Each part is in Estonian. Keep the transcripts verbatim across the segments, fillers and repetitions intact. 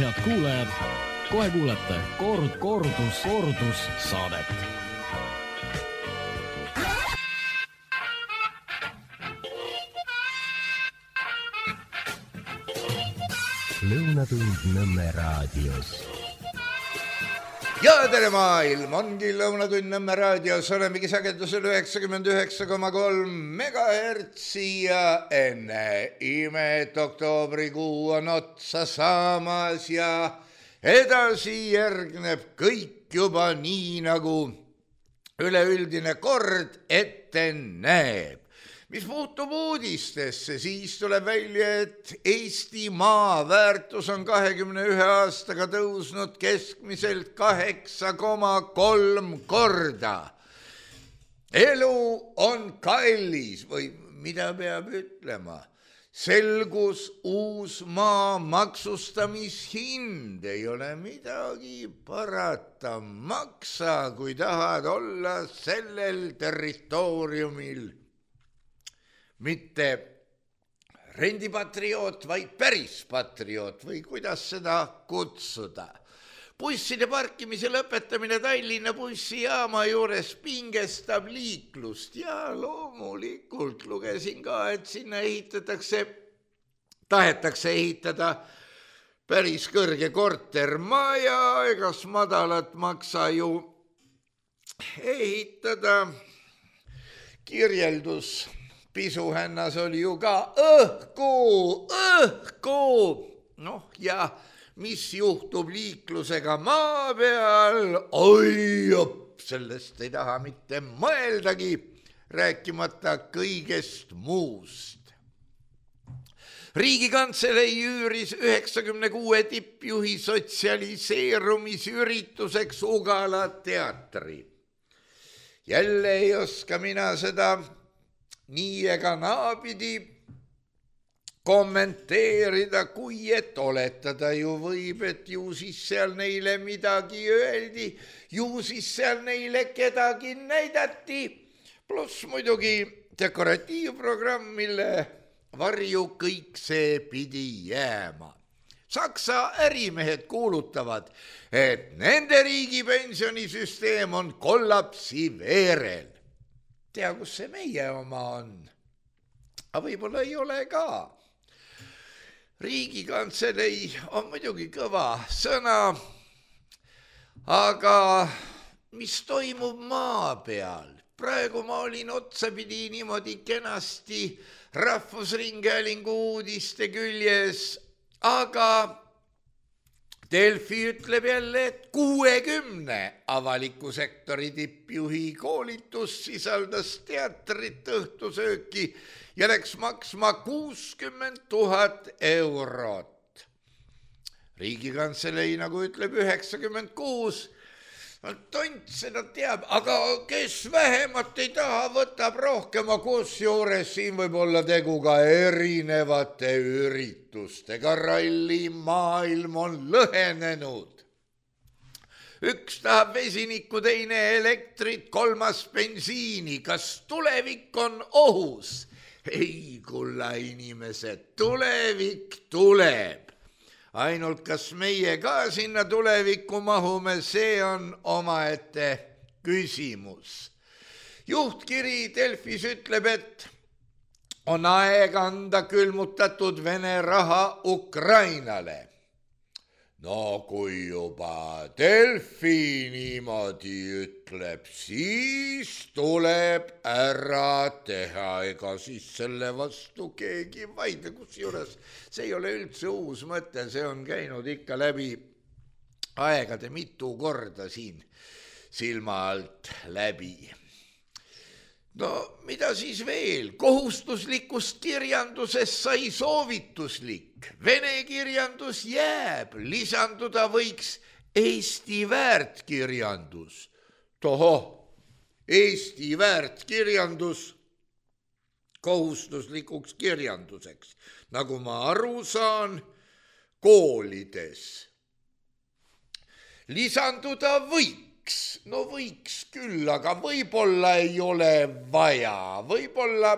head kuulajad, kohe kuulete kord, kordus, kordus saadet. Lõunatund Nõmme raadios. Ja tere maailm, ongi Lõunatund Nõmme raadios, olemegi sagedusel üheksakümmend üheksa koma kolm megahertsi ja enne imet oktoobrikuu on otsa saamas ja edasi järgneb kõik juba nii, nagu üleüldine kord ette näeb. Mis puutub uudistesse, siis tuleb välja, et Eesti maa väärtus on kahekümne ühe aastaga tõusnud keskmiselt kaheksa koma kolm korda. Elu on kallis või mida peab ütlema? Selgus uus maa maksustamishind, ei ole midagi parata. Maksa, kui tahad olla sellel territooriumil. Mitte rendipatrioot, vaid päris patrioot või kuidas seda kutsuda. Busside parkimise lõpetamine Tallinna bussijaama juures pingestab liiklust ja loomulikult lugesin ka, et sinna ehitatakse, tahetakse ehitada päris kõrge kortermaja, egas madalat maksa ju ehitada. Kirjeldus pisuhännas oli ju ka õhku, õhku. Noh, ja mis juhtub liiklusega maa peal? Oi, op, sellest ei taha mitte mõeldagi, rääkimata kõigest muust. Riigikantselei üüris üheksakümne kuue tippjuhi sotsialiseerumisürituseks Ugala teatri. Jälle ei oska mina seda nii ega naapidi kommenteerida, kui et oletada ju võib, et ju siis seal neile midagi öeldi, ju siis seal neile kedagi näidati, pluss muidugi dekoratiivprogramm, mille varju kõik see pidi jääma. Saksa ärimehed kuulutavad, et nende riigipensionisüsteem on kollapsi veerel. Tea, kus see meie oma on. Aga võib-olla ei ole ka. Riigikantselei on muidugi kõva sõna, aga mis toimub maa peal? Praegu ma olin otsapidi niimoodi kenasti Rahvusringhäälingu uudiste küljes, aga Delfi ütleb jälle, et kuuekümne avaliku sektori tippjuhi koolitus sisaldas teatrit, õhtusööki ja läks maksma kuuskümmend tuhat eurot. Riigikantselei, nagu ütleb, üheksakümmend kuus. Tont seda teab, aga kes vähemat ei taha, võtab rohkema, kusjuures siin võib olla tegu ka erinevate üritustega. Ralli maailm on lõhenenud. Üks tahab vesinikku, teine elektrit, kolmas bensiini. Kas tulevik on ohus? Ei, kulla inimesed, tulevik tuleb. Ainult kas meie ka sinna tulevikku mahume, see on omaette küsimus. Juhtkiri Delfis ütleb, et on aeg anda külmutatud Vene raha Ukrainale. No kui juba Delfi niimoodi ütleb, siis tuleb ära teha, ega siis selle vastu keegi vaidle, kusjuures see ei ole üldse uus mõte, see on käinud ikka läbi aegade mitu korda siin silma alt läbi. No mida siis veel? Kohustuslikust kirjandusest sai soovituslik. Vene kirjandus jääb, lisanduda võiks Eesti väärtkirjandus. Tohoh, Eesti väärtkirjandus kohustuslikuks kirjanduseks, nagu ma aru saan, koolides. Lisanduda võiks. No võiks küll, aga võib-olla ei ole vaja, võib-olla,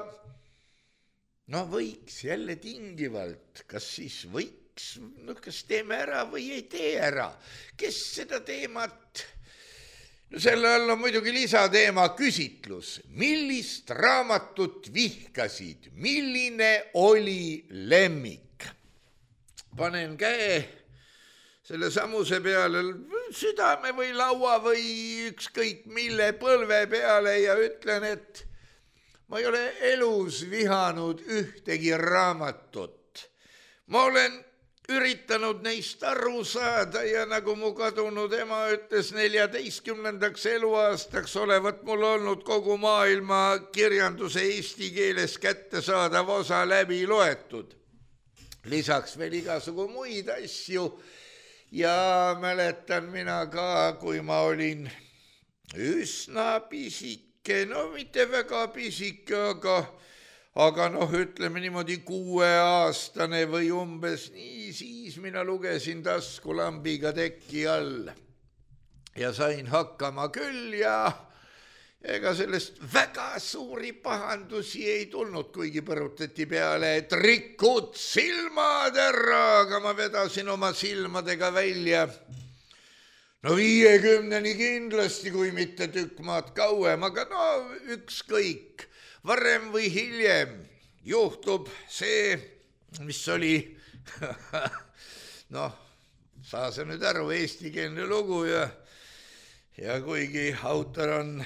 no võiks jälle tingivalt, kas siis võiks võiks, no kas teeme ära või ei tee ära, kes seda teemat, no selle all on muidugi lisateema küsitlus, millist raamatut vihkasid, milline oli lemmik. Panen käe selle samuse peale, südame või laua või ükskõik mille põlve peale ja ütlen, et ma ei ole elus vihanud ühtegi raamatut. Ma olen üritanud neist aru saada ja nagu mu kadunud ema ütles, neljateistkümnendaks eluaastaks olevat mul olnud kogu maailma kirjanduse eesti keeles kättesaadav osa läbi loetud. Lisaks veel igasugu muid asju ja mäletan mina ka, kui ma olin üsna pisik, no mitte väga pisike, aga, aga noh, ütleme niimoodi kuueaastane või umbes nii, siis mina lugesin taskulambiga teki all ja sain hakkama küll ja ega sellest väga suuri pahandusi ei tulnud, kuigi põrutati peale, et rikud silmad ära, aga ma vedasin oma silmadega välja. No viiekümneni kindlasti, kui mitte tükk maad kauem, aga no ükskõik, varem või hiljem juhtub see, mis oli, noh, saa sa nüüd aru, eestikeelne lugu ja, ja kuigi autor on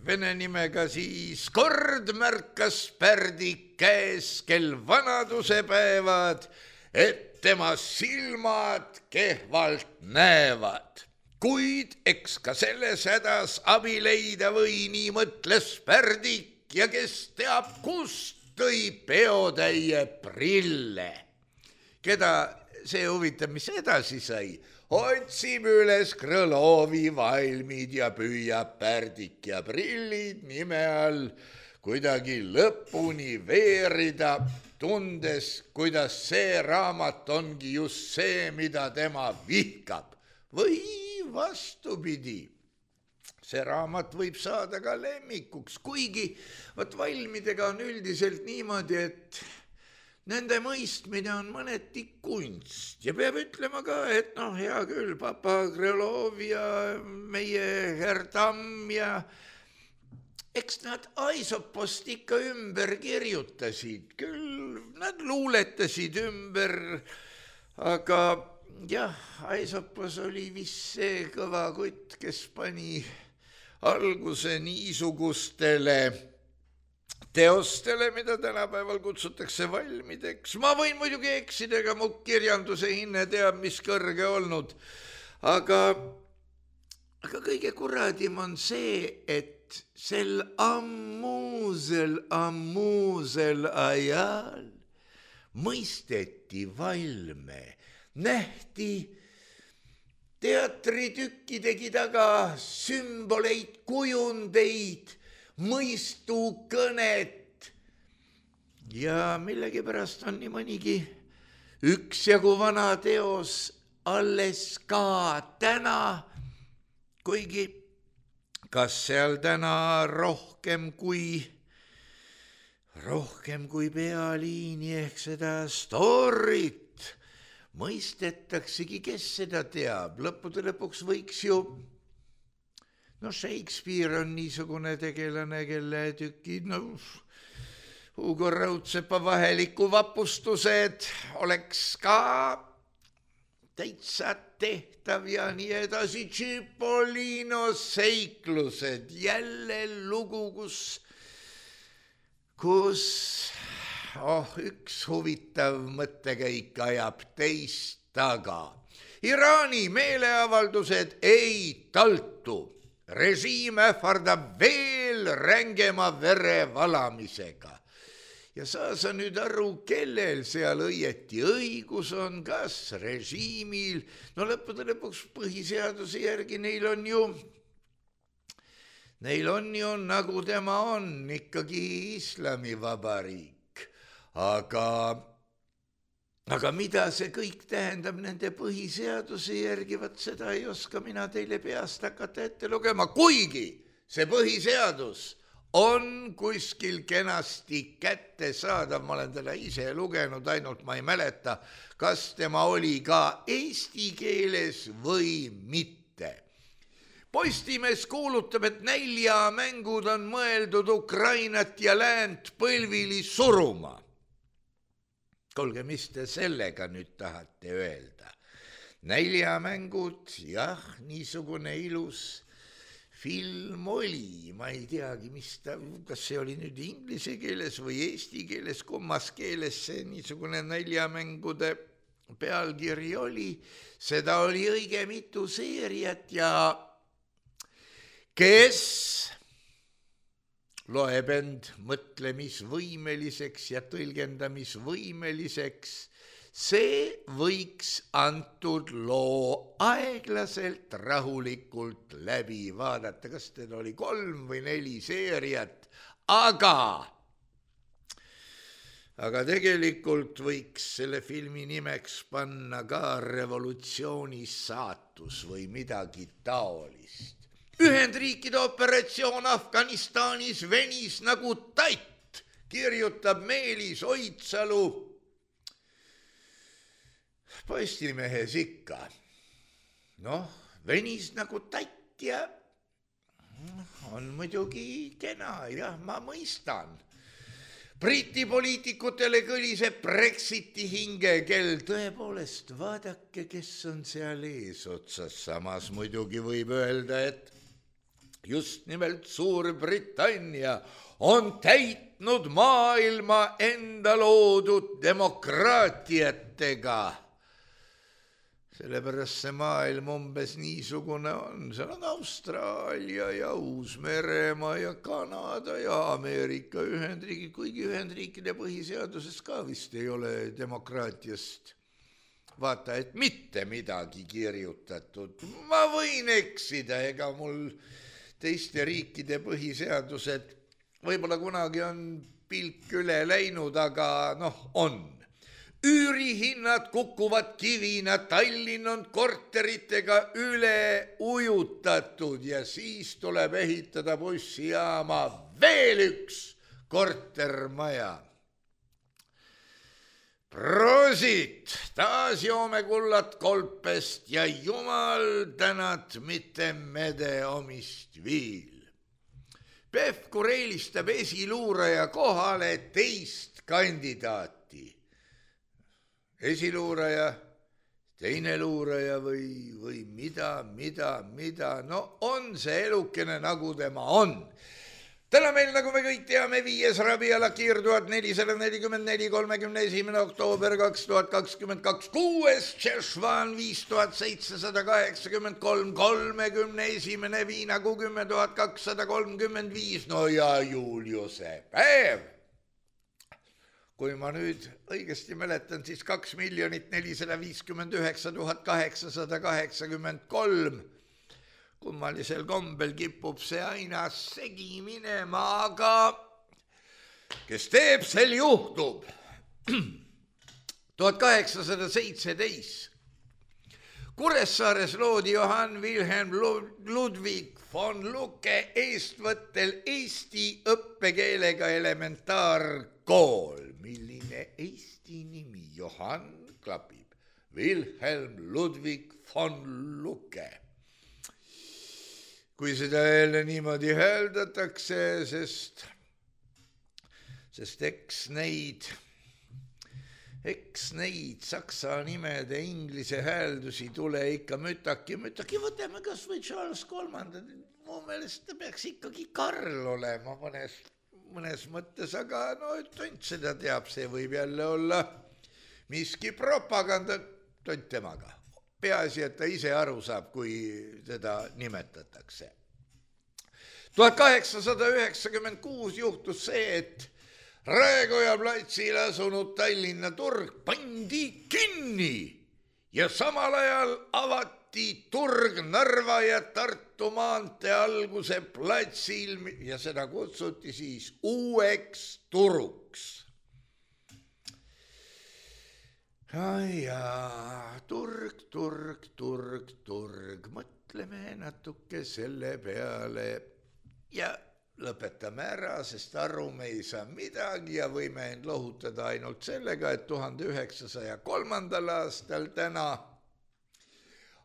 vene nimega, siis kord märkas Pärdik käes kel vanaduse päevad, et tema silmad kehvalt näevad. Kuid eks ka selles hädas abi leida või, nii mõtles Pärdik ja kes teab, kust tõi peotäie prille. Keda see huvitab, mis edasi sai? Otsib üles Krõlovi valmid ja püüab Pärdik ja prillid nime all kuidagi lõpuni veerida, tundes, kuidas see raamat ongi just see, mida tema vihkab. Või vastupidi, see raamat võib saada ka lemmikuks, kuigi võt valmidega on üldiselt niimoodi, et nende mõistmine on mõneti kunst ja peab ütlema ka, et noh, hea küll, papa Krõlov ja meie Herr Tamm ja eks nad Aisopost ikka ümber kirjutasid, küll nad luuletasid ümber, aga jah, Aisopos oli vist see kõva kutt, kes pani alguse niisugustele teostele, mida tänapäeval kutsutakse valmideks. Ma võin muidugi eksida, ega mu kirjanduse hinne teab, mis kõrge olnud, aga, aga kõige kuradim on see, et sel ammuusel, ammuusel ajal mõisteti valme, nähti teatritükkidegi taga sümboleid, kujundeid, mõistukõnet ja millegipärast on nii mõnigi üksjagu vana teos alles ka täna, kuigi kas seal täna rohkem kui, rohkem kui pealiini ehk seda storit mõistetaksegi, kes seda teab. Lõppude lõpuks võiks ju, no Shakespeare on niisugune tegelane, kelle tükid, no Hugo Raudsepa Vaheliku vapustused oleks ka täitsa tehtav ja nii edasi. Cipollino seiklused, jälle lugu, kus, kus oh, üks huvitav mõttekäik ajab teist taga. Iraani meeleavaldused ei taltu. Režiim ähvardab veel rängema verevalamisega. Ja saa sa nüüd aru, kellel seal õieti õigus on, kas režiimil, no lõppude lõpuks põhiseaduse järgi neil on ju, neil on ju, nagu tema on, ikkagi islamivabariik. Aga, aga mida see kõik tähendab nende põhiseaduse järgi, vaat seda ei oska mina teile peast hakata ette lugema, kuigi see põhiseadus on kuskil kenasti kättesaadav, ma olen teda ise lugenud, ainult ma ei mäleta, kas tema oli ka eesti keeles või mitte. Postimees kuulutab, et näljamängud on mõeldud Ukrainat ja läänt põlvili suruma. Kuulge, mis te sellega nüüd tahate öelda? Näljamängud, jah, niisugune ilus film oli, ma ei teagi, mis ta, kas see oli nüüd inglise keeles või eesti keeles, kummas keeles see niisugune näljamängude pealkiri oli. Seda oli õige mitu seeriat ja kes loeb end mõtlemisvõimeliseks ja tõlgendamisvõimeliseks, see võiks antud loo aeglaselt, rahulikult läbi vaadata. Kas teil oli kolm või neli seeriat, aga, aga tegelikult võiks selle filmi nimeks panna ka Revolutsiooni saatus või midagi taolist. Ühendriikide operatsioon Afganistanis venis nagu tatt, kirjutab Meelis Oidsalu Postimehes ikka. Noh, venis nagu tatt ja on muidugi kena, jah, ma mõistan. Briti poliitikutele kõliseb Brexiti hingekell. Tõepoolest, vaadake, kes on seal eesotsas. Samas muidugi võib öelda, et just nimelt Suurbritannia on täitnud maailma enda loodud demokraatiatega. Sellepärast see maailm umbes niisugune on. Seal on Austraalia ja Uus-Meremaa ja Kanada ja Ameerika Ühendriigid, kuigi Ühendriikide põhiseaduses ka vist ei ole demokraatiast vaata, et mitte midagi kirjutatud. Ma võin eksida, ega mul teiste riikide põhiseadused võib-olla kunagi on pilk üle läinud, aga noh, on. Üürihinnad kukuvad kivina, Tallinn on korteritega üle ujutatud ja siis tuleb ehitada bussijaama veel üks kortermaja. Prosit, taas joome kullat kolpest ja jumal tänat mitte mede omist viil. Pevkur eelistab esiluuraja kohale teist kandidaati. Esiluuraja, teine luuraja või, või mida, mida, mida, no on see elukene nagu tema on. Täna meil, nagu me kõik teame, viies Rabiala kiir tuhat nelisada nelikümmend neli, kolmekümne esimene oktoober kaks tuhat kakskümmend kaks, kuues Tšešvan viis tuhat seitsesada kaheksakümmend kolm, kolmekümne esimene Viinaku kümme tuhat kakssada kolmkümmend viis, no ja Juliuse päev. Kui ma nüüd õigesti mäletan, siis kaks miljonit nelisada viiskümmend üheksa tuhat kaheksasada kaheksakümmend kolm. Kummalisel kombel kipub see aina segi minema, aga kes teeb, sel juhtub. tuhat kaheksasada seitseteist. Kuressaares loodi Johann Wilhelm Ludwig von Lucke eestvõttel eesti õppekeelega elementaarkool. Milline eesti nimi? Johann klapib. Wilhelm Ludwig von Lucke. Kui seda jälle niimoodi hääldatakse, sest, sest eks neid, eks neid saksa nimede inglise hääldusi tule ikka mütaki, mütaki, võtame kas või Charles kolmanda. Mu meelest ta peaks ikkagi Karl olema mõnes, mõnes mõttes, aga no tont seda teab, see võib jälle olla miski propaganda, tont temaga. Peaasi, et ta ise aru saab, kui teda nimetatakse. tuhat kaheksasada üheksakümmend kuus juhtus see, et Raekoja platsil asunud Tallinna turg pandi kinni ja samal ajal avati turg Narva ja Tartu maantee alguse platsil ja seda kutsuti siis uueks turuks. Ai jaa, turg, turg, turg, turg, mõtleme natuke selle peale ja lõpetame ära, sest aru me ei saa midagi ja võime end lohutada ainult sellega, et tuhande üheksasaja kolmandal aastal täna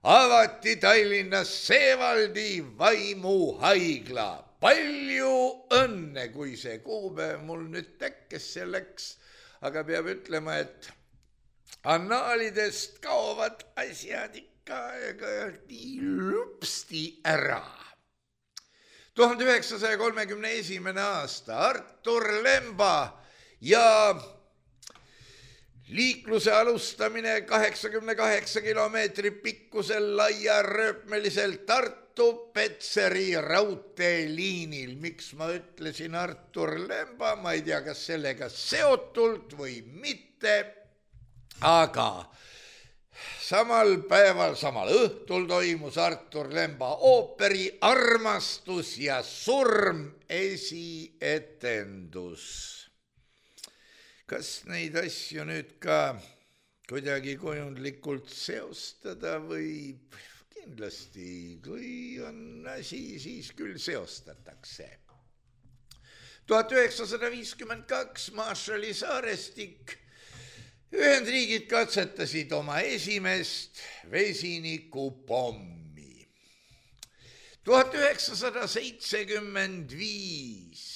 avati Tallinnas Seevaldi vaimuhaigla. Palju õnne, kui see kuupäev mul nüüd tekkes selleks, aga peab ütlema, et annaalidest kaovad asjad ikka nii lupsti ära. tuhande üheksasaja kolmekümne esimene aasta Artur Lemba ja liikluse alustamine kaheksakümne kaheksa kilomeetri pikkusel laia rööpmelisel Tartu-Petseri raudteeliinil. Miks ma ütlesin Artur Lemba, ma ei tea, kas sellega seotult või mitte, aga samal päeval, samal õhtul toimus Artur Lemba ooperi Armastus ja surm esietendus. Kas neid asju nüüd ka kuidagi kujundlikult seostada või kindlasti, kui on asi, siis küll seostatakse. tuhat üheksasada viiskümmend kaks Marshalli saarestik. Ühendriigid katsetasid oma esimest vesinikupommi. tuhat üheksasada seitsekümmend viis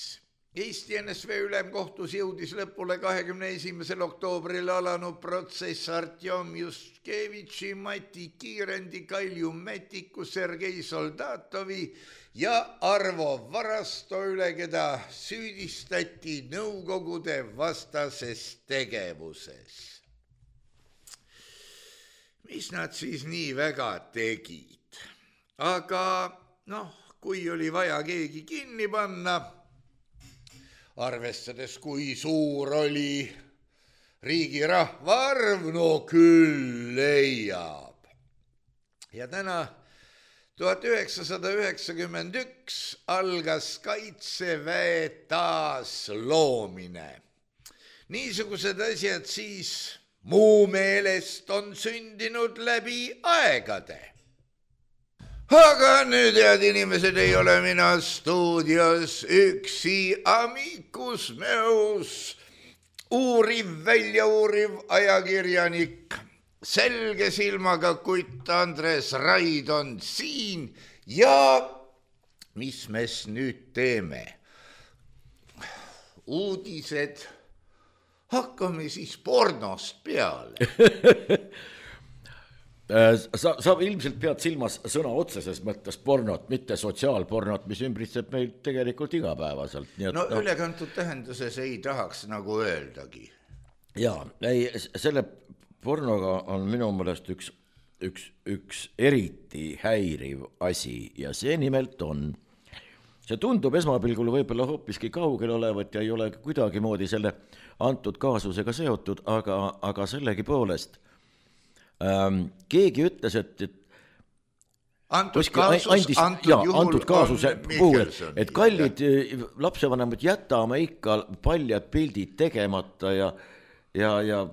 Eesti N S V ülemkohtus jõudis lõpule kahekümne esimesel oktoobril alanud protsess Artjom Juskevitši, Mati Kiirendi, Kalju Metiku, Sergei Soldatovi ja Arvo Varasto üle, keda süüdistati nõukogude vastases tegevuses. Mis nad siis nii väga tegid? Aga noh, kui oli vaja keegi kinni panna, arvestades, kui suur oli riigi rahvaarv, no küll leiab. Ja täna tuhat üheksasada üheksakümmend üks algas Kaitseväe taasloomine. Niisugused asjad siis muu meelest on sündinud läbi aegade. Aga nüüd, head inimesed, ei ole mina stuudios üksi, amicus meus, uuriv, väljauuriv ajakirjanik, selge silmaga kutt Andres Raid on siin ja mis me nüüd teeme? Uudised, hakkame siis pornost peale. Sa, sa ilmselt pead silmas sõna otseses mõttes pornot, mitte sotsiaalpornot, mis ümbritseb meil tegelikult igapäevaselt. Nii et, no ülekantud tähenduses ei tahaks nagu öeldagi. Jaa, ei, selle pornoga on minu meelest üks, üks, üks eriti häiriv asi ja see nimelt on, see tundub esmapilgul võib-olla hoopiski kaugel olevat ja ei ole kuidagi moodi selle antud kaasusega seotud, aga, aga sellegi poolest Ähm, keegi ütles, et, et antud kaasus, andis, antud ja, juhul antud kaasuse puhul, et kallid jah. lapsevanemad jätame ikka paljad pildid tegemata ja, ja, ja,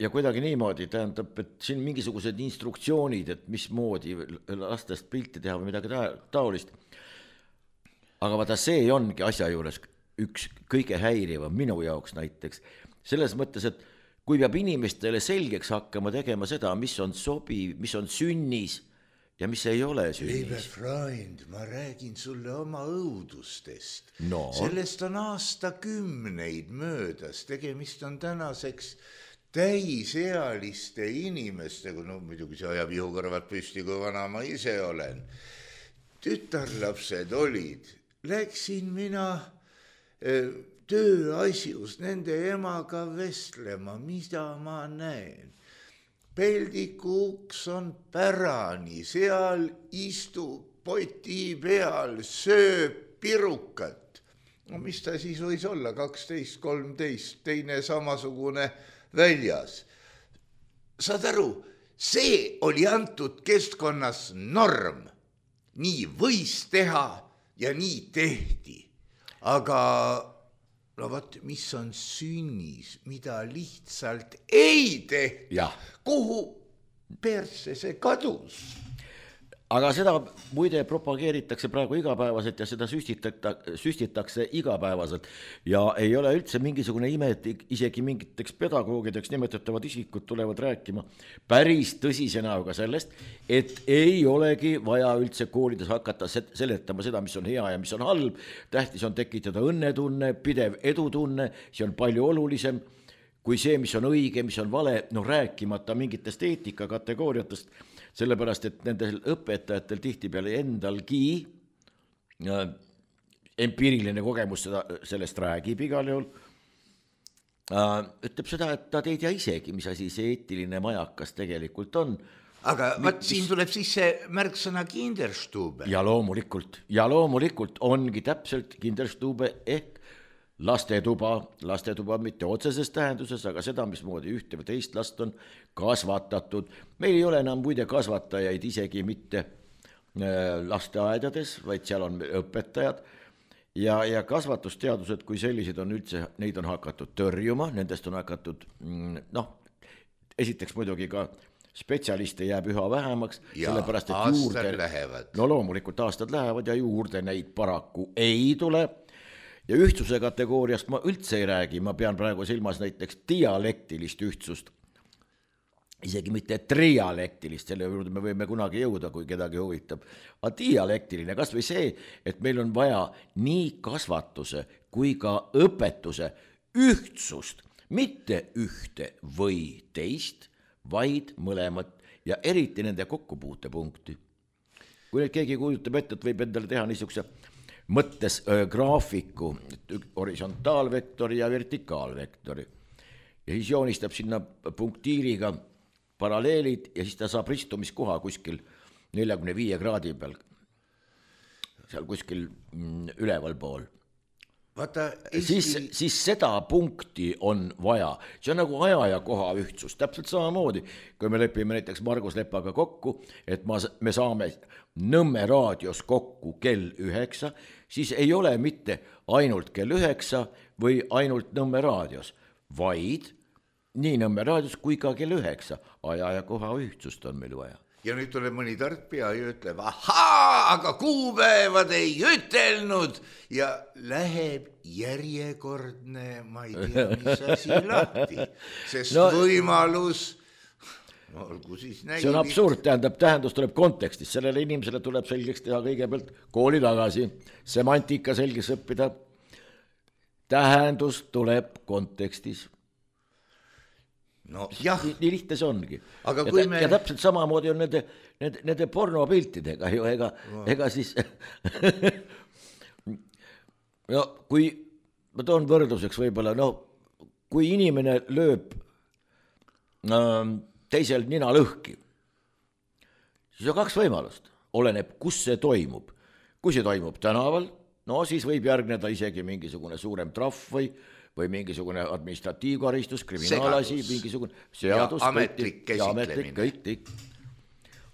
ja kuidagi niimoodi, tähendab, et siin mingisugused instruktsioonid, et mismoodi lastest pilti teha või midagi taolist. Aga vaata, see ongi asja juures üks kõige häirivam minu jaoks näiteks, selles mõttes, et kui peab inimestele selgeks hakkama tegema seda, mis on sobiv, mis on sünnis ja mis ei ole sünnis. Lieber Freund, ma räägin sulle oma õudustest. No. Sellest on aastakümneid möödas. Tegemist on tänaseks täisealiste inimestega. No muidugi see ajab ihukõrvad püsti, kui vana ma ise olen. Tütarlapsed olid. Läksin mina tööasjus nende emaga vestlema, mida ma näen. Peldiku uks on pärani, seal istub poti peal, sööb pirukat. No mis ta siis võis olla, kaksteist, kolmteist, teine samasugune väljas. Saad aru, see oli antud keskkonnas norm. Nii võis teha ja nii tehti. Aga no vaat, mis on sünnis, mida lihtsalt ei tehta, kuhu persse see kadus? aga seda muide propageeritakse praegu igapäevaselt ja seda süstitakse, süstitakse igapäevaselt ja ei ole üldse mingisugune ime, et isegi mingiteks pedagoogideks nimetatavad isikud tulevad rääkima päris tõsise näoga sellest, et ei olegi vaja üldse koolides hakata seletama seda, mis on hea ja mis on halb, tähtis on tekitada õnnetunne, pidev edutunne, see on palju olulisem kui see, mis on õige, mis on vale, no rääkimata mingitest eetika kategooriatest, sellepärast, et nendel õpetajatel tihtipeale endalgi äh, empiiriline kogemus seda, sellest räägib igal juhul, äh, ütleb seda, et ta ei tea isegi, mis asi see eetiline majakas tegelikult on. Aga vaat siin tuleb siis see märksõna Kinderstube. Ja loomulikult, ja loomulikult ongi täpselt Kinderstube ehk lastetuba, lastetuba mitte otseses tähenduses, aga seda, mismoodi ühte või teist last on kasvatatud. Meil ei ole enam muide kasvatajaid isegi mitte lasteaedades, vaid seal on õpetajad ja, ja kasvatusteadused kui sellised on üldse, neid on hakatud tõrjuma, nendest on hakatud, noh, esiteks muidugi ka spetsialiste jääb üha vähemaks, ja sellepärast, et aastad juurde, lähevad. No loomulikult aastad lähevad ja juurde neid paraku ei tule. Ja ühtsuse kategooriast ma üldse ei räägi, ma pean praegu silmas näiteks dialektilist ühtsust, isegi mitte trialektilist, selle juurde me võime kunagi jõuda, kui kedagi huvitab, aga dialektiline, kas või see, et meil on vaja nii kasvatuse kui ka õpetuse ühtsust, mitte ühte või teist, vaid mõlemat ja eriti nende kokkupuutepunkti. Kui nüüd keegi kujutab ette, et võib endale teha niisuguse mõttes öö, graafiku, horisontaalvektori ja vertikaalvektori ja siis joonistab sinna punktiiriga paralleelid ja siis ta saab ristumiskoha kuskil neljakümne viie kraadi peal, seal kuskil mm, üleval pool. Vaata, Eesti... siis, siis seda punkti on vaja, see on nagu aja ja koha ühtsus, täpselt samamoodi, kui me lepime näiteks Margus Lepaga kokku, et ma, me saame Nõmme raadios kokku kell üheksa, siis ei ole mitte ainult kell üheksa või ainult Nõmme raadios, vaid nii Nõmme raadios kui ka kell üheksa, aja ja koha ühtsust on meil vaja. Ja nüüd tuleb mõni tarkpea ja ütleb, ahaa, aga kuupäevad ei ütelnud ja läheb järjekordne, ma ei tea, mis asi lahti, sest no, võimalus, no olgu siis näidid. See on absurd, tähendab, tähendus tuleb kontekstis, sellele inimesele tuleb selgeks teha kõigepealt kooli tagasi, semantika selgeks õppida, tähendus tuleb kontekstis. No, jah. Nii, nii lihtne see ongi. Aga ja, kui tä- me... ja täpselt samamoodi on nende, nende, nende pornopiltidega ju, ega, no. ega siis no, kui ma toon võrdluseks võib-olla, no kui inimene lööb ähm, teisel nina lõhki, siis on kaks võimalust, oleneb, kus see toimub. Kui see toimub tänaval, no siis võib järgneda isegi mingisugune suurem trahv või või mingisugune administratiivkaristus, kriminaalasi, mingisugune seadus, ja ametlik käsitlemine. Kõik, kõik.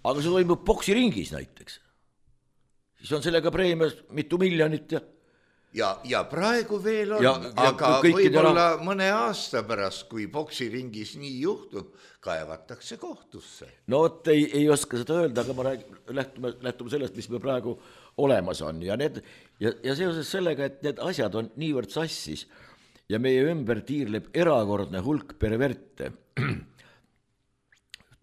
Aga see toimub poksiringis näiteks. Siis on sellega preemias mitu miljonit ja Ja, ja praegu veel on, ja, aga ja võib-olla rah... mõne aasta pärast, kui poksiringis nii juhtub, kaevatakse kohtusse. No et ei, ei oska seda öelda, aga ma räägin, lähtume, lähtume sellest, mis me praegu olemas on. Ja, need, ja, ja seoses sellega, et need asjad on niivõrd sassis ja meie ümber tiirleb erakordne hulk perverte.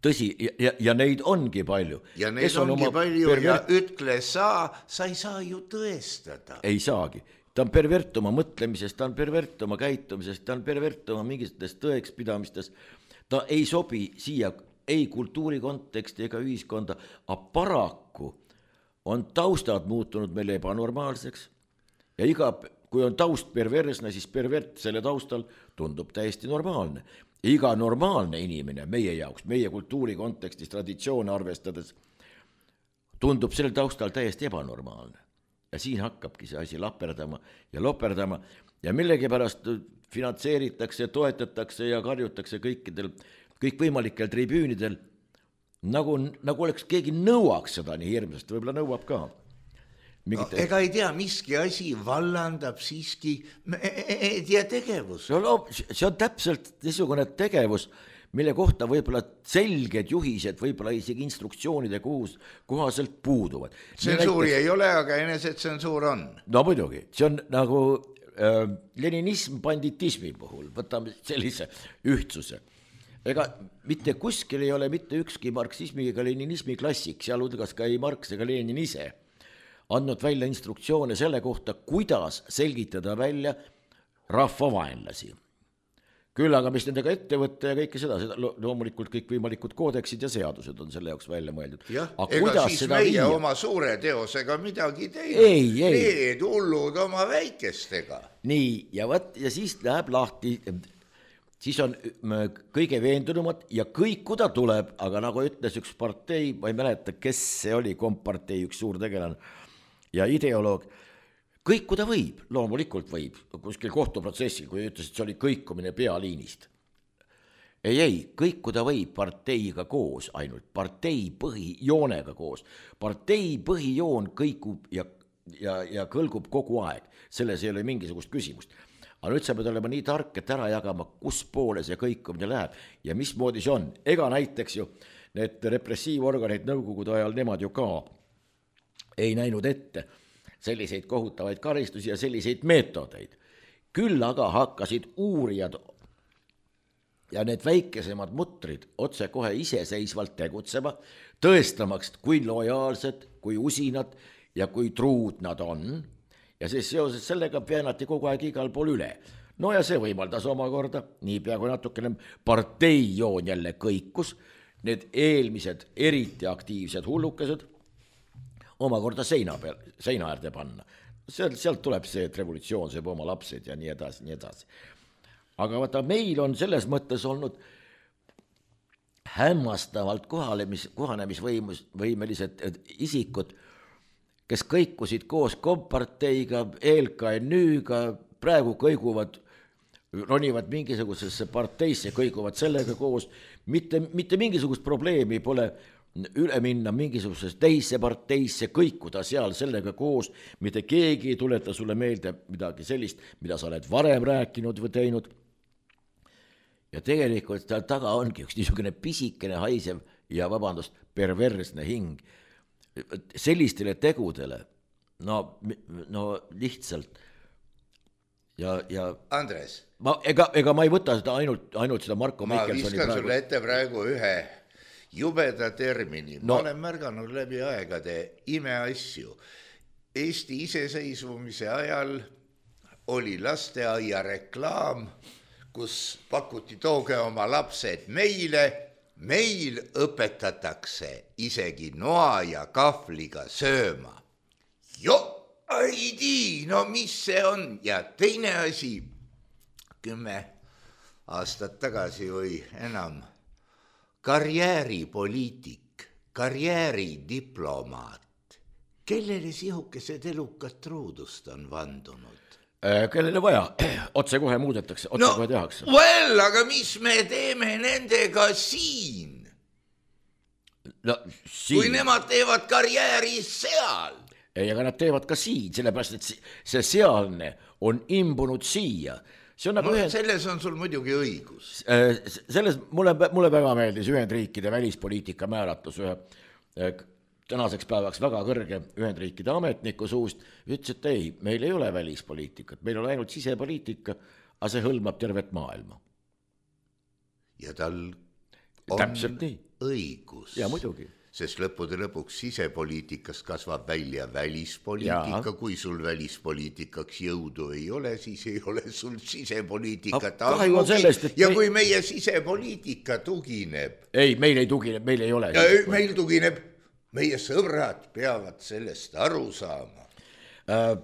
Tõsi, ja, ja neid ongi palju. Ja neid on ongi palju pervert... ja ütle sa, sa ei saa ju tõestada. Ei saagi. Ta on pervert oma mõtlemisest, ta on pervert oma käitumisest, ta on pervert oma mingitest tõekspidamistest. Ta ei sobi siia ei kultuuri konteksti ega ühiskonda, aga paraku on taustad muutunud meil ebanormaalseks ja iga, kui on taust perversne, siis pervert selle taustal tundub täiesti normaalne. Iga normaalne inimene meie jaoks, meie kultuuri kontekstis traditsioone arvestades, tundub selle taustal täiesti ebanormaalne. Ja siin hakkabki see asi laperdama ja loperdama ja millegipärast finantseeritakse, toetatakse ja karjutakse kõikidel, kõikvõimalikel tribüünidel, nagu, nagu oleks keegi nõuaks seda nii hirmsasti, võib-olla nõuab ka. Mingite... No, ega ei tea, miski asi vallandab siiski meedia tegevus. No, no, see on täpselt niisugune tegevus, mille kohta võib-olla selged juhised, võib-olla isegi instruktsioonide kohus, kohaselt puuduvad. Tsensuuri näiteks, ei ole, aga enesetsensuur on. No muidugi, see on nagu äh, leninism banditismi puhul, võtame sellise ühtsuse. Ega mitte kuskil ei ole mitte ükski marksismi ega leninismi klassik, sealhulgas ka ei Marx ega Lenin ise, andnud välja instruktsioone selle kohta, kuidas selgitada välja rahvavaenlasi. Küll aga mis nendega ette võtta ja kõike seda, seda loomulikult kõik võimalikud koodeksid ja seadused on selle jaoks välja mõeldud. Jah, ega siis meie viia? Oma suure teosega midagi teinud, ei, ei. Need hullud oma väikestega. Nii, ja, võt, ja siis läheb lahti, siis on kõige veendunumad ja kõikuda tuleb, aga nagu ütles üks partei, ma ei mäleta, kes see oli, kompartei, üks suur tegelane ja ideoloog, kõikuda võib, loomulikult võib, kuskil kohtuprotsessil, kui ütles, et see oli kõikumine pealiinist. Ei, ei, kõikuda võib parteiga koos ainult, partei põhijoonega koos. Partei põhijoon kõikub ja, ja, ja kõlgub kogu aeg, selles ei ole mingisugust küsimust. Aga nüüd sa pead olema nii tark, et ära jagama, kus poole see kõikumine läheb ja mismoodi see on. Ega näiteks ju need repressiivorganid nõukogude ajal, nemad ju ka ei näinud ette selliseid kohutavaid karistusi ja selliseid meetodeid. Küll aga hakkasid uurijad ja need väikesemad mutrid otse kohe iseseisvalt tegutsema, tõestamaks, kui lojaalsed, kui usinad ja kui truud nad on. Ja siis seoses sellega väänati kogu aeg igal pool üle. No ja see võimaldas omakorda, nii peaaegu natukene parteijoon jälle kõikus, need eelmised eriti aktiivsed hullukesed omakorda seina peal, seina äärde panna. Sealt, sealt tuleb see, et revolutsioon sööb oma lapsed ja nii edasi, nii edasi. Aga vaata, meil on selles mõttes olnud hämmastavalt kohalemis, kohanemisvõimelised isikud, kes kõikusid koos komparteiga, E L K N Ü-ga, praegu kõiguvad, ronivad mingisugusesse parteisse, kõiguvad sellega koos, mitte, mitte mingisugust probleemi pole üle minna mingisugusesse teisse parteisse, kõikuda seal sellega koos, mitte keegi ei tuleta sulle meelde midagi sellist, mida sa oled varem rääkinud või teinud. Ja tegelikult tal taga ongi üks niisugune pisikene haisev ja vabandust, perversne hing. Sellistele tegudele, no, no lihtsalt. Ja, ja Andres. Ma, ega, ega ma ei võta seda ainult, ainult seda Marko ma Mikkelsoni viskan praegu. Sulle ette praegu ühe jubeda termini, no. Ma olen märganud läbi aegade imeasju. Eesti iseseisvumise ajal oli lasteaia reklaam, kus pakuti tooge oma lapsed meile, meil õpetatakse isegi noa ja kahvliga sööma. Jo, ei tii, no mis see on? Ja teine asi, kümme aastat tagasi või enam, karjääripoliitik, karjääridiplomaat, kellele sihukesed elukad truudust on vandunud? Kellele vaja, otse kohe muudetakse, otse no, kohe tehakse. Well, aga mis me teeme nendega siin? No, siin? Kui nemad teevad karjääri seal? Ei, aga nad teevad ka siin, sellepärast, et see sealne on imbunud siia. See on nagu no, ühend... Selles on sul muidugi õigus. Selles mulle, mulle väga meeldis Ühendriikide välispoliitika määratlus ühe tänaseks päevaks väga kõrge Ühendriikide ametniku suust, ütles, et ei, meil ei ole välispoliitikat, meil on ainult sisepoliitika, aga see hõlmab tervet maailma. Ja tal on täpselt nii. Õigus. Ja muidugi. Sest lõppude lõpuks sisepoliitikast kasvab välja välispoliitika, ja. Kui sul välispoliitikaks jõudu ei ole, siis ei ole sul sisepoliitikat. Sellest, ja me... kui meie sisepoliitika tugineb... Ei, meil ei tugineb, meil ei ole. Ja meil tugineb, meie sõbrad peavad sellest aru saama. Äh,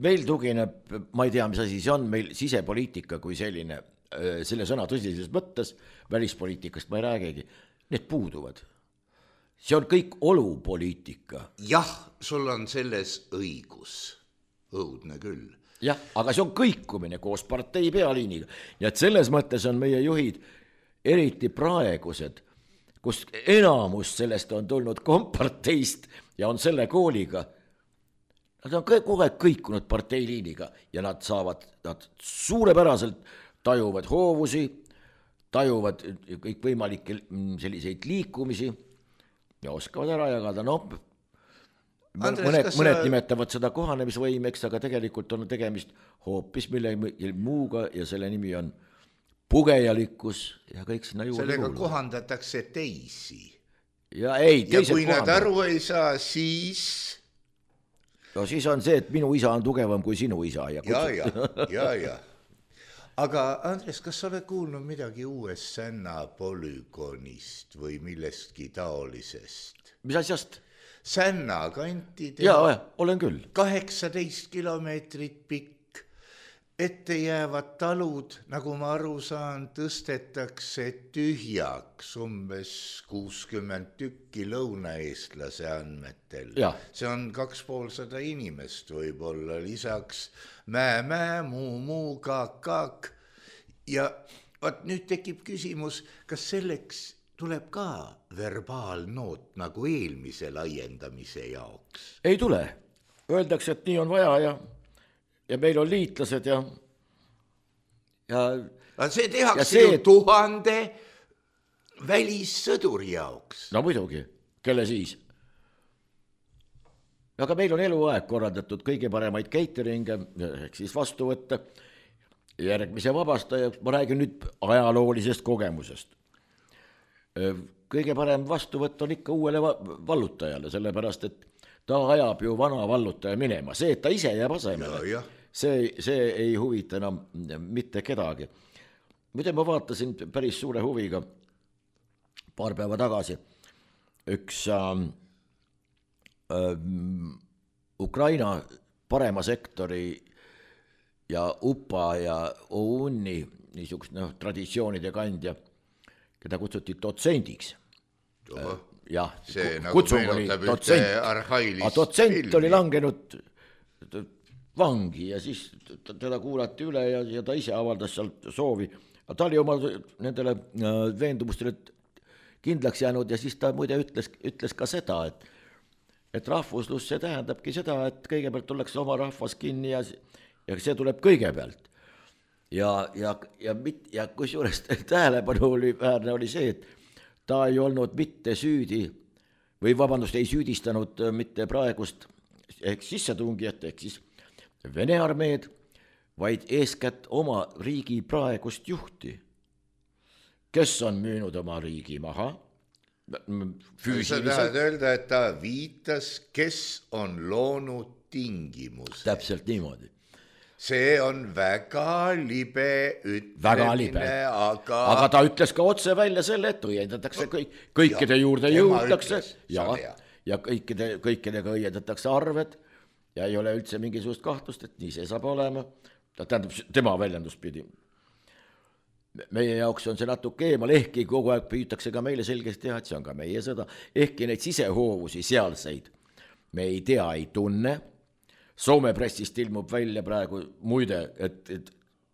meil tugineb, ma ei tea, mis asi see on, meil sisepoliitika kui selline, äh, selle sõna tõsises mõttes, välispoliitikast ma ei räägigi, need puuduvad. See on kõik olupoliitika. Jah, sul on selles õigus. Õudne küll. Jah, aga see on kõikumine koos partei pealiiniga. Ja et selles mõttes on meie juhid eriti praegused, kus enamus sellest on tulnud komparteist ja on selle kooliga. Nad on kogu aeg kõikunud parteiliiniga ja nad saavad, nad suurepäraselt tajuvad hoovusi, tajuvad kõikvõimalikke selliseid liikumisi ja oskavad ära jagada, noh, Andres, mõned, kas mõned sa... nimetavad seda kohanemisvõimeks, aga tegelikult on tegemist hoopis mille muuga ja selle nimi on pugejalikkus ja kõik sinna juurde sellega kuuluvad. Kohandatakse teisi. Ja, ei, ja kui nad aru ei saa, siis... No siis on see, et minu isa on tugevam kui sinu isa. Ja, ja, ja, ja, ja. Aga Andres, kas sa oled kuulnud midagi uuest Sänna polügoonist või millestki taolisest? Mis asjast? Sänna kanti jaa, olen küll. kaheksateist kilomeetrit pikk, ette jäävad talud, nagu ma aru saan, tõstetakse tühjaks umbes kuuskümmend tükki lõunaeestlase andmetel. Ja. See on kaks poolsada inimest võib-olla, lisaks mää, mää, muu, muu, kaak, kaak. Ja vaat nüüd tekib küsimus, kas selleks tuleb ka verbaalnoot nagu eelmise laiendamise jaoks? Ei tule. Öeldakse, et nii on vaja ja, ja meil on liitlased ja... ja aga see tehakse see, ju tuhande välissõduri jaoks. No muidugi, kelle siis? Aga meil on eluaeg korraldatud kõige paremaid cateringe, ehk siis vastu võtta järgmise vabastaja. Ma räägin nüüd ajaloolisest kogemusest. Kõige parem vastuvõtt on ikka uuele vallutajale, sellepärast, et ta ajab ju vana vallutaja minema. See, et ta ise jääb asemele, see, see ei huvita enam mitte kedagi. Muide, ma vaatasin päris suure huviga paar päeva tagasi üks äh, äh, Ukraina parema sektori ja U P A ja O U N-i niisugust no, traditsioonide kandja, keda kutsuti dotsendiks. Jah, see kutsung nagu oli dotsent, arhailist a dotsent filmi. Oli langenud vangi ja siis teda kuulati üle ja, ja ta ise avaldas sealt soovi. Ta oli oma nendele veendumustele kindlaks jäänud ja siis ta muide ütles, ütles ka seda, et, et rahvuslus see tähendabki seda, et kõigepealt tullakse oma rahvas kinni ja, ja see tuleb kõigepealt. Ja, ja, ja, ja kusjuures tähelepanu oli väärne oli see, et ta ei olnud mitte süüdi või vabandust, ei süüdistanud mitte praegust ehk sissetungijat ehk siis Vene armeed, vaid eeskätt oma riigi praegust juhti, kes on müünud oma riigi maha füüsiliselt. Sa tahad öelda, et ta viitas, kes on loonud tingimus. Täpselt niimoodi. See on väga libe ütlemine, väga libe. Aga... aga ta ütles ka otse välja selle, et õiendatakse kõik, kõikide ja, juurde jõutakse ja, ja kõikide, kõikidega õiendatakse arved ja ei ole üldse mingisugust kahtlust, et nii see saab olema. Ta tähendab tema väljendust pidi. Meie jaoks on see natuke eemal, ehkki kogu aeg püütakse ka meile selgeks teha, et see on ka meie sõda. Ehkki neid sisehoovusi sealseid me ei tea, ei tunne. Soome pressist ilmub välja praegu muide, et, et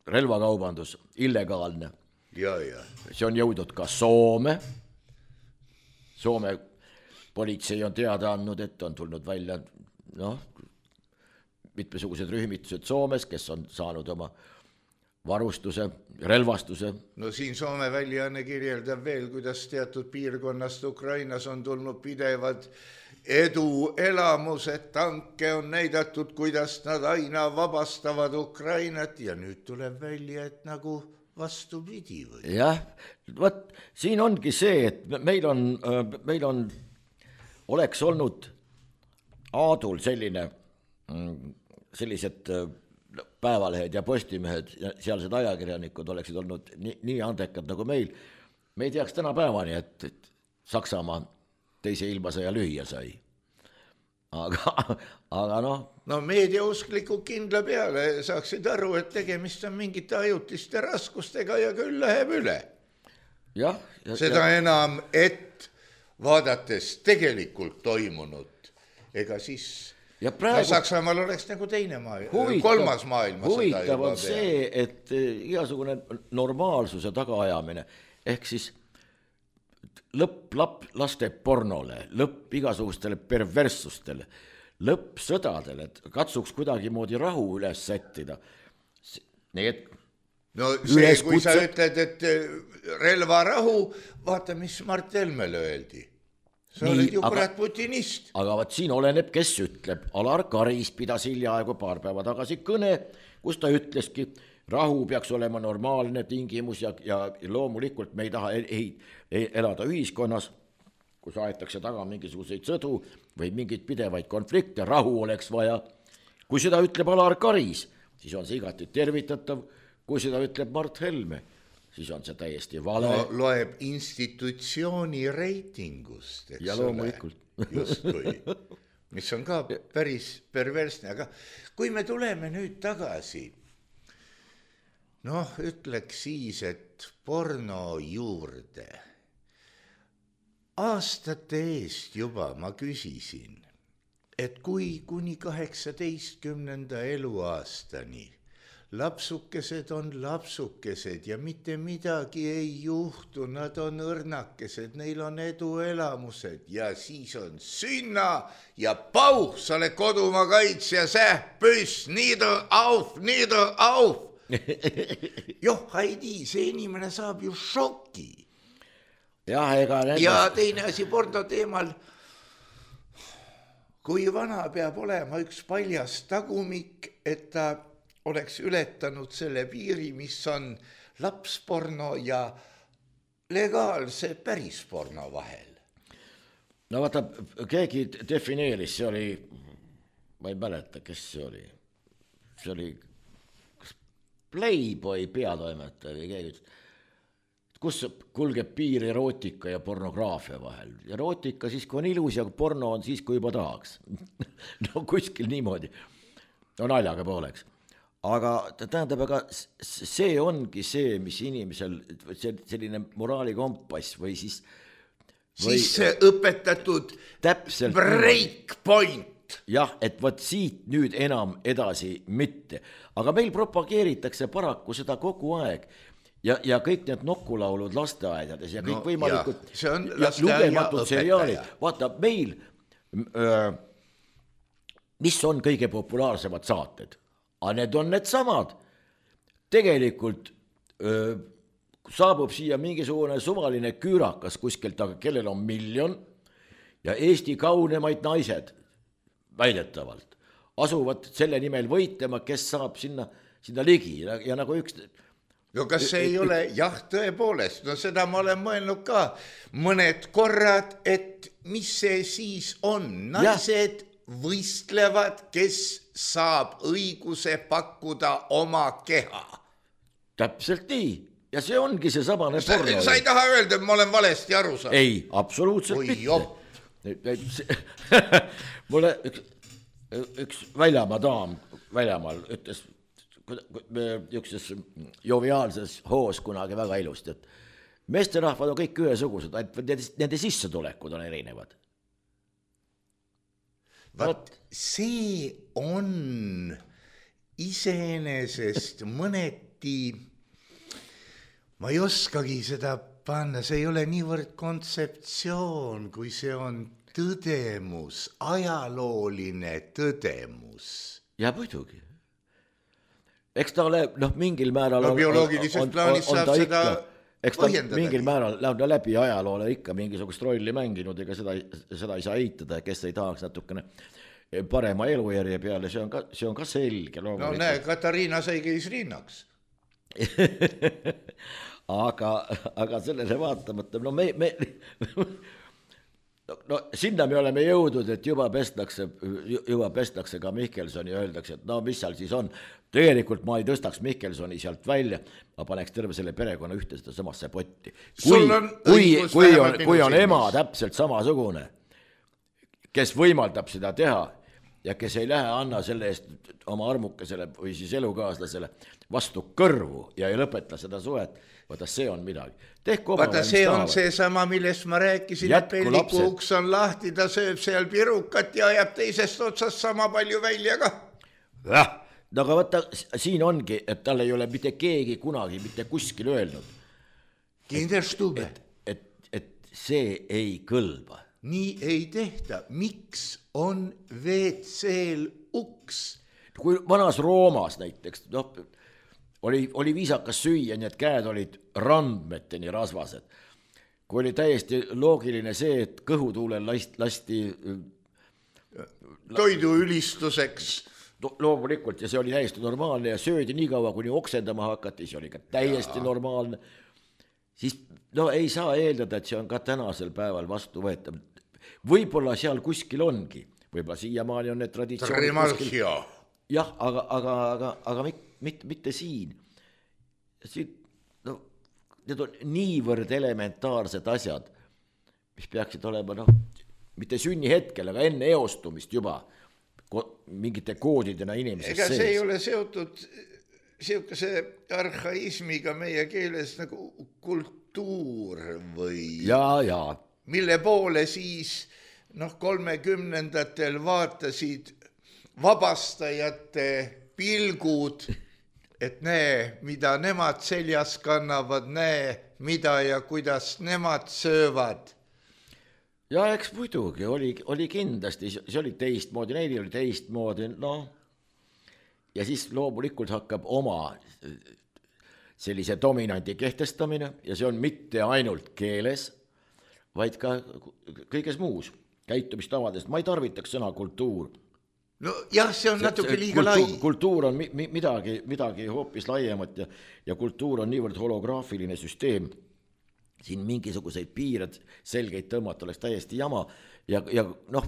relvakaubandus illegaalne. Ja, ja. See on jõudnud ka Soome. Soome politsei on teada andnud, et on tulnud välja noh, mitmesugused rühmitused Soomes, kes on saanud oma varustuse, relvastuse. No siin Soome väljaanne kirjeldab veel, kuidas teatud piirkonnast Ukrainas on tulnud pidevad edu elamused, tanke on näidatud, kuidas nad aina vabastavad Ukrainat ja nüüd tuleb välja, et nagu vastupidi või? Jah, võt, siin ongi see, et meil on, meil on, oleks olnud Aadul selline, sellised päevalehed ja postimehed ja sealsed ajakirjanikud oleksid olnud nii, nii andekad nagu meil. Me ei teaks täna päevani, et, et Saksamaa teise ilmasõja lüüa sai. Aga, aga noh. No meediausklikud kindla peale saaksid aru, et tegemist on mingite ajutiste raskustega ja küll läheb üle. Ja, ja, seda ja. enam, et vaadates tegelikult toimunut, ega siis ja praegu, no Saksamaal oleks nagu teine maailma, kolmas maailma. Huvitav on see, et igasugune normaalsuse tagaajamine, ehk siis lõpp lap, laste pornole, lõpp igasugustele perverssustele, lõpp sõdadele, et katsuks kuidagi moodi rahu üles sättida. Need no see, kui sa ütled, et relvarahu, vaata, mis Mart Helmele öeldi. Sa Nii, oled ju kurat putinist. Aga vaat siin oleneb, kes ütleb. Alar Karis pidas hiljaaegu paar päeva tagasi kõne, kus ta ütleski, rahu peaks olema normaalne tingimus ja, ja loomulikult me ei taha ei, ei elada ühiskonnas, kus aetakse taga mingisuguseid sõdu või mingeid pidevaid konflikte, rahu oleks vaja. Kui seda ütleb Alar Karis, siis on see igati tervitatav. Kui seda ütleb Mart Helme, siis on see täiesti vale. No, loeb institutsiooni reitingust, eks ja loomulikult. Justkui, mis on ka päris perversne, aga kui me tuleme nüüd tagasi, noh, ütleks siis, et porno juurde. Aastate eest juba ma küsisin, et kui kuni kaheksateistkümnenda eluaastani lapsukesed on lapsukesed ja mitte midagi ei juhtu, nad on õrnakesed, neil on eduelamused ja siis on sünna ja pauh, sa oled kodumaa kaitsja, sähpüss, nieder auf, nieder auf. Joh, Heidi, see inimene saab ju šoki. Ja, ega nendes... ja teine asi porno teemal, kui vana peab olema üks paljas tagumik, et ta oleks ületanud selle piiri, mis on lapsporno ja legaalse pärisporno vahel. No vaata, keegi defineeris, see oli, ma ei mäleta, kes see oli, see oli Playboy peatoimetaja või keegi ütles, kus kulgeb piir erootika ja pornograafia vahel. Erootika siis, kui on ilus ja porno on siis, kui juba tahaks. No kuskil niimoodi. No naljaga pooleks. Aga tähendab, aga see ongi see, mis inimesel selline moraalikompass või siis või, siis see õpetatud täpselt breakpoint. Jah, et võt siit nüüd enam edasi mitte. Aga meil propageeritakse paraku seda kogu aeg ja, ja kõik need nokulaulud lasteaedades ja kõik no, võimalikud ja, ja lugematud seriaalid. Vaata, meil öö, mis on kõige populaarsemad saated? Aga need on need samad. Tegelikult öö, saabub siia mingisugune suvaline küürakas kuskilt, aga kellel on miljon ja Eesti kaunemaid naised väidetavalt asuvad selle nimel võitlema, kes saab sinna, sinna ligi ja, ja nagu üks... No kas see ei ole, jah, tõepoolest, no seda ma olen mõelnud ka mõned korrad, et mis see siis on, naised ja. Võistlevad, kes saab õiguse pakkuda oma keha. Täpselt nii. Ja see ongi see samane sa, porno. Sa ei taha öelda, et ma olen valesti aru saanud. Ei, absoluutselt Oi, mitte. Mulle üks, üks väljamaa daam väljamaal ütles ükses joviaalses hoos kunagi väga ilusti, et meesterahvad on kõik ühesugused, et nende sissetulekud on erinevad. Vaat see on iseenesest mõneti, ma ei oskagi seda panna, see ei ole niivõrd kontseptsioon, kui see on tõdemus, ajalooline tõdemus. Ja muidugi. Eks ta ole, noh, mingil määral no bioloogiliselt plaanis saab seda eks ta mingil määral läbi ajaloole ikka mingisugust rolli mänginud, ega seda, seda ei saa eitada, kes ei tahaks natukene parema elujärje peale, see on ka, see on ka selge. No näe, Katariina sai käis rinnaks. aga, aga sellele vaatamata, no me, me no sinna me oleme jõudnud, et juba pestakse, juba pestakse ka Mihkelsoni ja öeldakse, et no mis seal siis on. Tegelikult ma ei tõstaks Mihkelsoni sealt välja, ma paneks terve selle perekonna ühte seda samasse potti. Kui, kui, kui, on, kui on ema täpselt samasugune, kes võimaldab seda teha ja kes ei lähe anna selle eest oma armukesele või siis elukaaslasele vastu kõrvu ja ei lõpeta seda suhet, vaata see on midagi. Vaata see on see sama, millest ma rääkisin, et pelliku uks on lahti, ta sööb seal pirukat ja ajab teisest otsast sama palju välja ka. Jah, aga vaata siin ongi, et tal ei ole mitte keegi kunagi mitte kuskil öelnud. Kinderstube. Et, et, et see ei kõlba. Nii ei tehta. Miks on V C-l uks? Kui vanas Roomas näiteks, noh, oli, oli viisakas süüa, nii et käed olid randmeteni rasvased. Kui oli täiesti loogiline see, et kõhutuulel lasti, lasti toidu ülistuseks. Loomulikult, ja see oli täiesti normaalne ja söödi nii kaua, kuni oksendama hakati, see oli ka täiesti ja. normaalne. Siis no ei saa eeldada, et see on ka tänasel päeval vastu võetav. Võib-olla seal kuskil ongi, võib-olla siiamaani on need traditsioonid kuskil. Jah, aga, aga, aga, aga mitte, mitte siin. siin no, need on niivõrd elementaarsed asjad, mis peaksid olema, noh, mitte sünni hetkel, aga enne eostumist juba mingite koodidena inimesest ega see sees. Ei ole seotud siukese arhaismiga meie keeles nagu kultuur või ja, ja. mille poole siis noh, kolmekümnendatel vaatasid vabastajate pilgud, et näe, mida nemad seljas kannavad, näe, mida ja kuidas nemad söövad. Ja eks muidugi, oli, oli kindlasti, see oli teistmoodi, neil oli teistmoodi, noh. Ja siis loomulikult hakkab oma sellise dominanti kehtestamine ja see on mitte ainult keeles, vaid ka kõiges muus käitumistavadest. Ma ei tarvitaks sõna kultuur. No jah, see on natuke liiga lai. Kultuur on mi, mi, midagi, midagi hoopis laiemat ja, ja kultuur on niivõrd holograafiline süsteem. Siin mingisuguseid piired selgeid tõmmata oleks täiesti jama ja, ja noh,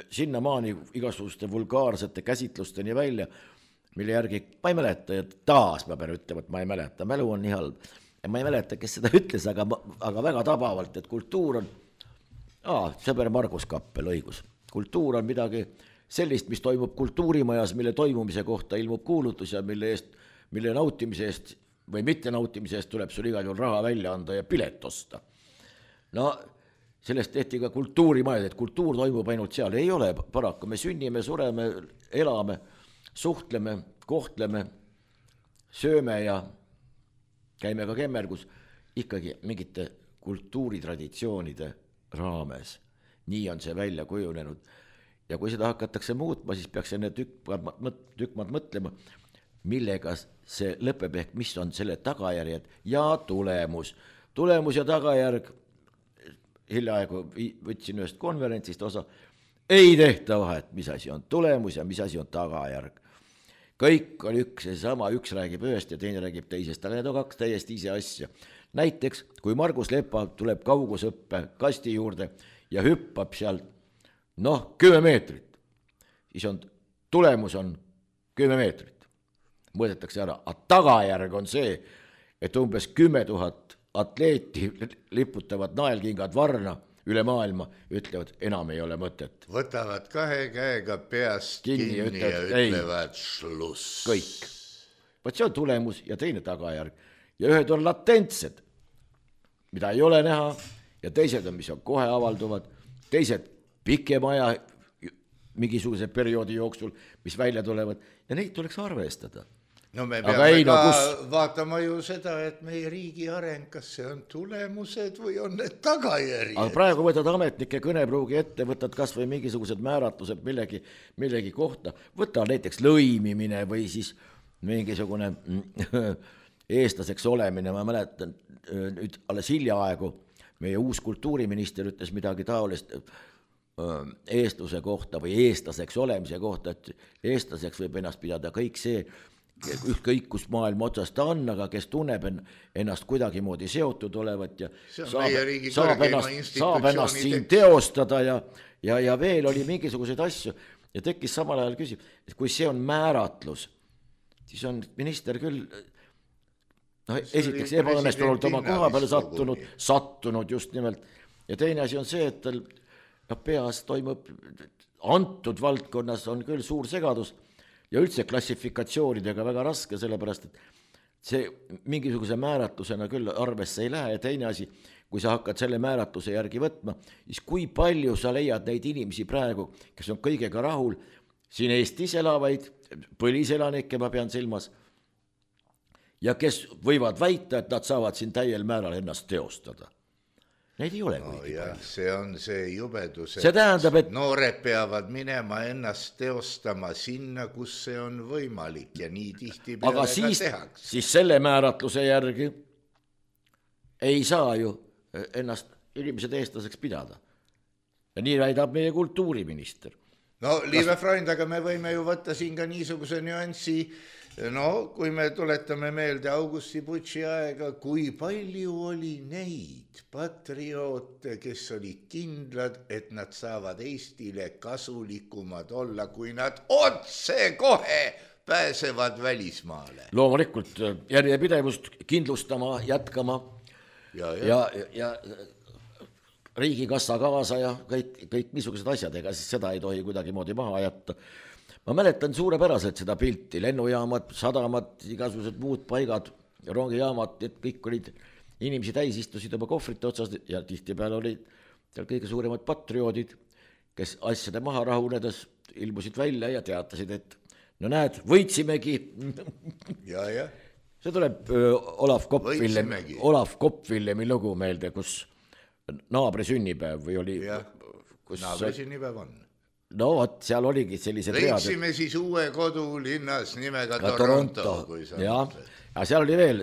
sinnamaani igasuguste vulgaarsete käsitlusteni välja, mille järgi ma ei mäleta ja taas ma pean ütlema, et ma ei mäleta, mälu on nii halb ja ma ei mäleta, kes seda ütles, aga, aga väga tabavalt, et kultuur on aa, sõber Margus Kappel õigus, kultuur on midagi sellist, mis toimub kultuurimajas, mille toimumise kohta ilmub kuulutus ja mille, eest, mille nautimise eest või mitte nautimise eest tuleb sul igal juhul raha välja anda ja pilet osta. No sellest tehti ka kultuurimajad, et kultuur toimub ainult seal. Ei ole paraku, me sünnime, sureme, elame, suhtleme, kohtleme, sööme ja käime ka kemmergus ikkagi mingite kultuuritraditsioonide raames. Nii on see välja kujunenud. Ja kui seda hakatakse muutma, siis peaks enne tükmad mõtlema, millega see lõpeb ehk mis on selle tagajärjed ja tulemus. Tulemus ja tagajärg, hiljaaegu võtsin ühest konverentsist osa, ei tehta vahet, mis asi on tulemus ja mis asi on tagajärg. Kõik on üks ja sama, üks räägib ühest ja teine räägib teisest, aga need on kaks täiesti ise asja. Näiteks, kui Margus Lepa tuleb kaugusõppe kasti juurde ja hüppab seal noh, kümme meetrit, siis on, tulemus on kümme meetrit. Mõõdetakse ära, aga tagajärg on see, et umbes kümme tuhat atleeti liputavad naelkingad varna üle maailma, ütlevad, enam ei ole mõtet. Võtavad kahe käega peast kinni, kinni ja ütlevad, ja ütlevad šluss. Kõik. Vaat see on tulemus ja teine tagajärg. Ja ühed on latentsed, mida ei ole näha, ja teised on, mis on kohe avalduvad, teised pikema aja mingisuguse perioodi jooksul, mis välja tulevad, ja neid tuleks arvestada. No me peame ei, no, ka kus... vaatama ju seda, et meie riigi areng, kas see on tulemused või on need tagajärjed. Aga praegu võtad ametnike kõnepruugi ette, võtad kas või mingisugused määratlused millegi, millegi kohta, võta näiteks lõimimine või siis mingisugune eestlaseks olemine, ma mäletan nüüd alles hiljaaegu meie uus kultuuriminister ütles midagi taolist eestluse kohta või eestlaseks olemise kohta, et eestlaseks võib ennast pidada kõik see, ükskõik kus maailma otsast ta on, aga kes tunneb ennast kuidagi moodi seotud olevat ja saab, saab, ennast, saab ennast siin teostada ja, ja, ja veel oli mingisuguseid asju ja tekkis samal ajal küsib, et kui see on määratlus, siis on minister küll no, esiteks ebaõnnestunult oma koha peale sattunud, sattunud just nimelt ja teine asi on see, et tal no, peas toimub antud valdkonnas on küll suur segadus ja üldse klassifikatsioonidega väga raske, sellepärast, et see mingisuguse määratlusena küll arvesse ei lähe ja teine asi, kui sa hakkad selle määratluse järgi võtma, siis kui palju sa leiad neid inimesi praegu, kes on kõigega rahul, siin Eestis elavaid, põliselanikke ma pean silmas, ja kes võivad väita, et nad saavad siin täiel määral ennast teostada. Neid ei ole no kuigi jah, palju. See on see jubedus, see tähendab, et noored peavad minema ennast teostama sinna, kus see on võimalik ja nii tihti peale aga ka siis, tehakse. siis selle määratluse järgi ei saa ju ennast inimesed eestlaseks pidada. Ja nii väidab meie kultuuriminister. No liive Freund, aga me võime ju võtta siin ka niisuguse nüanssi, no kui me tuletame meelde Augusti Butši aega, kui palju oli neid patrioote, kes olid kindlad, et nad saavad Eestile kasulikumad olla, kui nad otse kohe pääsevad välismaale. Loomulikult järjepidevust kindlustama, jätkama ja, ja, ja, ja riigikassa kaasa ja kõik, kõik niisugused asjad, ega siis seda ei tohi kuidagi moodi maha jätta. Ma mäletan suurepäraselt seda pilti, lennujaamad, sadamad, igasugused muud paigad, rongijaamad, et kõik olid, inimesi täis istusid oma kohvrite otsas ja tihtipeale olid seal kõige suuremad patrioodid, kes asjade maha rahunedes ilmusid välja ja teatasid, et no näed, võitsimegi. Ja, ja. See tuleb öö, Olav Koppvillemi, Olav Koppvillemi lugu meelde, kus naabri sünnipäev või oli... Ja, kus naabri sünnipäev on. No vot, seal oligi sellised leidsime read, siis uue kodu linnas nimega Toronto, Toronto. Kui sa ja, ja seal oli veel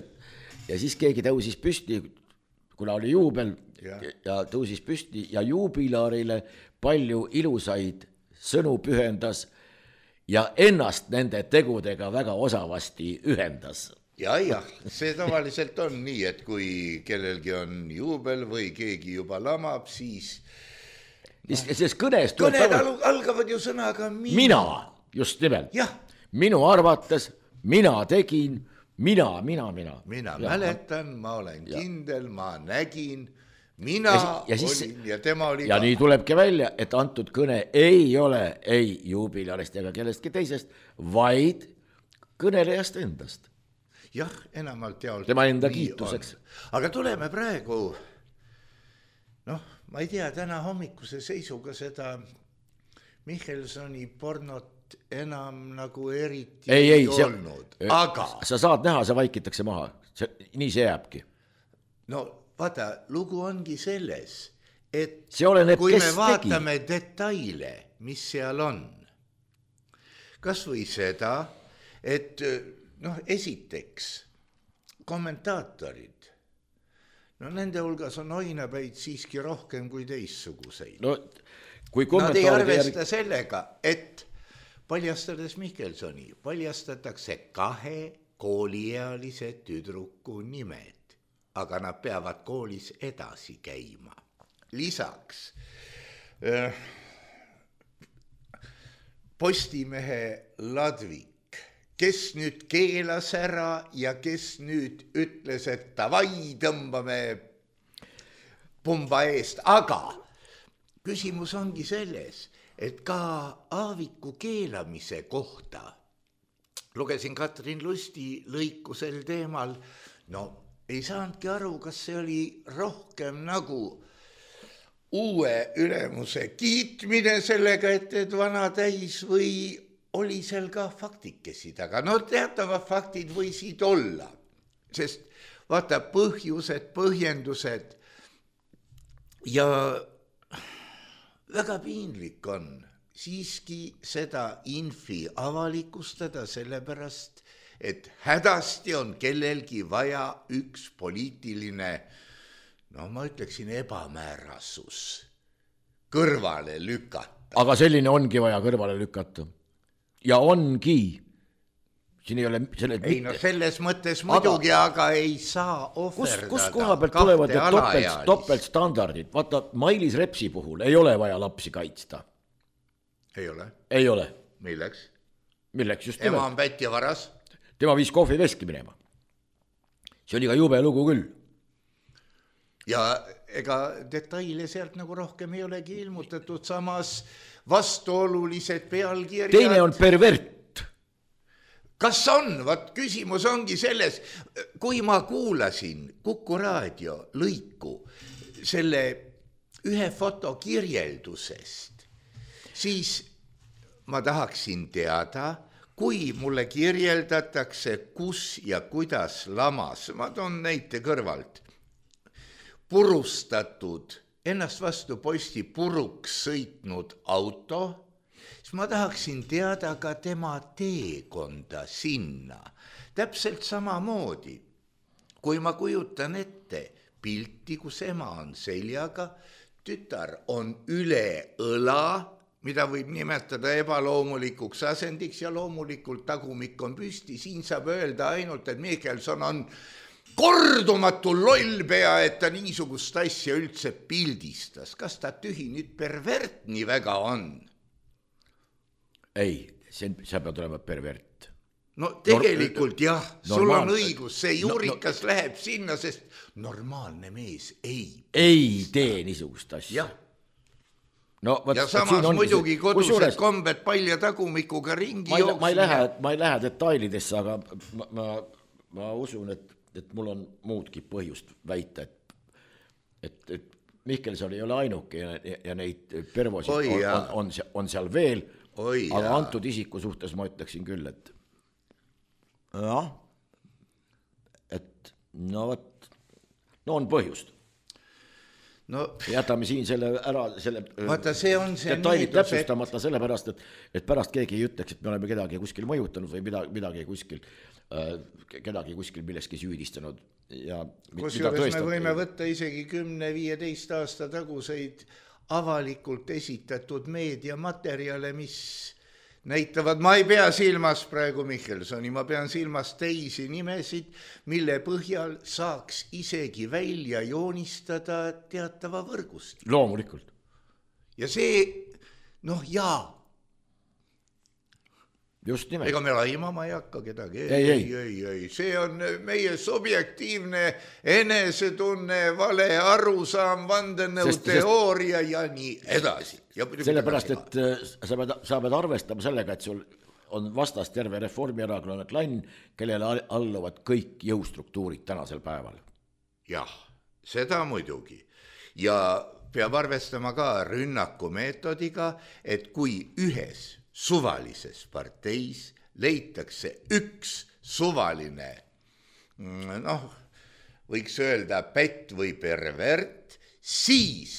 ja siis keegi tõusis püsti, kuna oli juubel ja, ja tõusis püsti ja juubilarile palju ilusaid sõnu pühendas ja ennast nende tegudega väga osavasti ühendas. Ja, jah, see tavaliselt on nii, et kui kellelgi on juubel või keegi juba lamab, siis Sest kõnes kõned tavali... algavad ju sõnaga mina. Mina, just nimelt. Ja. Minu arvates, mina tegin, mina, mina, mina. Mina ja, mäletan, ma olen ja. kindel, ma nägin, mina ja si- ja siis, olin ja tema oli ja ka. Nii tulebki välja, et antud kõne ei ole ei juubilarist ega kellestki teisest, vaid kõnelejast endast. Jah, enamalt jaolt. Tema enda kiituseks. On. Aga tuleme praegu, noh, ma ei tea, täna hommikuse seisuga seda Michelsoni pornot enam nagu eriti ei, ei olnud. See, aga... Sa saad näha, see vaikitakse maha. See, nii see jääbki. No vaata, lugu ongi selles, et see oleneb, kui kes me vaatame tegi. Detaile, mis seal on, kas või seda, et noh, esiteks kommentaatorid, no nende hulgas on oinapäid siiski rohkem kui teissuguseid. No, kui Nad ei arvesta järg... sellega, et paljastades Michelsoni, paljastatakse kahe kooliealise tüdruku nimed, aga nad peavad koolis edasi käima. Lisaks äh, Postimehe Ladvik, kes nüüd keelas ära ja kes nüüd ütles, et davai, tõmbame pumba eest. Aga küsimus ongi selles, et ka Aaviku keelamise kohta lugesin Katrin Lusti lõiku sel teemal, no ei saanudki aru, kas see oli rohkem nagu uue ülemuse kiitmine sellega, et et vana täis või oli seal ka faktikesi taga. No teatavad faktid võisid olla, sest vaata põhjused, põhjendused ja väga piinlik on siiski seda infi avalikustada sellepärast, et hädasti on kellelgi vaja üks poliitiline, no ma ütleksin ebamäärasus kõrvale lükata. Aga selline ongi vaja kõrvale lükata. Ja ongi. Siin ei ole selles ei no selles mõttes muidugi, aga, aga ei saa ohverdada. Kus, kus koha pealt tulevad topelt, topelt standardid? Vaata, Mailis Repsi puhul ei ole vaja lapsi kaitsta. Ei ole. Ei ole. Milleks? Milleks just nimelt. Ema on pätt ja varas. Tema viis kohvi veski minema. See oli ka jube lugu küll. Ja ega detaile sealt nagu rohkem ei olegi ilmutatud, samas vastuolulised pealkirjad. Teine on pervert. Kas on? Vat küsimus ongi selles, kui ma kuulasin Kuku raadio lõiku selle ühe foto kirjeldusest, siis ma tahaksin teada, kui mulle kirjeldatakse, kus ja kuidas lamas, ma toon näite kõrvalt, purustatud, ennast vastu posti puruks sõitnud auto, siis ma tahaksin teada ka tema teekonda sinna. Täpselt samamoodi, kui ma kujutan ette pilti, kus ema on seljaga, tütar on üle õla, mida võib nimetada ebaloomulikuks asendiks ja loomulikult tagumik on püsti, siin saab öelda ainult, et Michelson on kordumatu lollpea, et ta niisugust asja üldse pildistas. Kas ta tühi nüüd pervert nii väga on? Ei, see, sa pead olema pervert. No tegelikult jah, sul Normaal... on õigus, see juurikas no, no... läheb sinna, sest normaalne mees ei. Ei tee niisugust asja. No, võt, ja samas muidugi see... kodused Kusjuures... kombed palja tagumikuga ringi ma ei, jooksmine. Ma ei lähe, ma ei lähe detailidesse, aga ma, ma, ma usun, et, et mul on muudki põhjust väita, et, et, et Mihkelson ei ole ainuke ja, ja neid pervosid Oi, on, on, on, on seal veel, Oi, aga jah. Antud isiku suhtes ma ütleksin küll, et jah, et no võt, no on põhjust. No, jätame siin selle ära, selle vaata, see on see detailid täpsustamata et... sellepärast, et, et pärast keegi ei ütleks, et me oleme kedagi kuskil mõjutanud või midagi, midagi kuskil, äh, kedagi kuskil milleski süüdistanud. Ja kusjuures me võime võtta isegi kümne viieteist aasta taguseid avalikult esitatud meediamaterjale, mis näitavad, ma ei pea silmas praegu Michelsoni, ma pean silmas teisi nimesid, mille põhjal saaks isegi välja joonistada teatava võrgust. Loomulikult. Ja see, noh jaa. Just nimelt. Ega me laimama ei hakka kedagi. Ei, ei, ei. ei, ei. See on meie subjektiivne enesetunne, vale arusaam, vandenõuteooria ja nii edasi. Sellepärast, et sa pead, sa pead arvestama sellega, et sul on vastas terve Reformierakonna klann, kellele alluvad kõik jõustruktuurid tänasel päeval. Jah, seda muidugi. Ja peab arvestama ka rünnaku meetodiga, et kui ühes suvalises parteis leitakse üks suvaline, noh, võiks öelda pätt või pervert, siis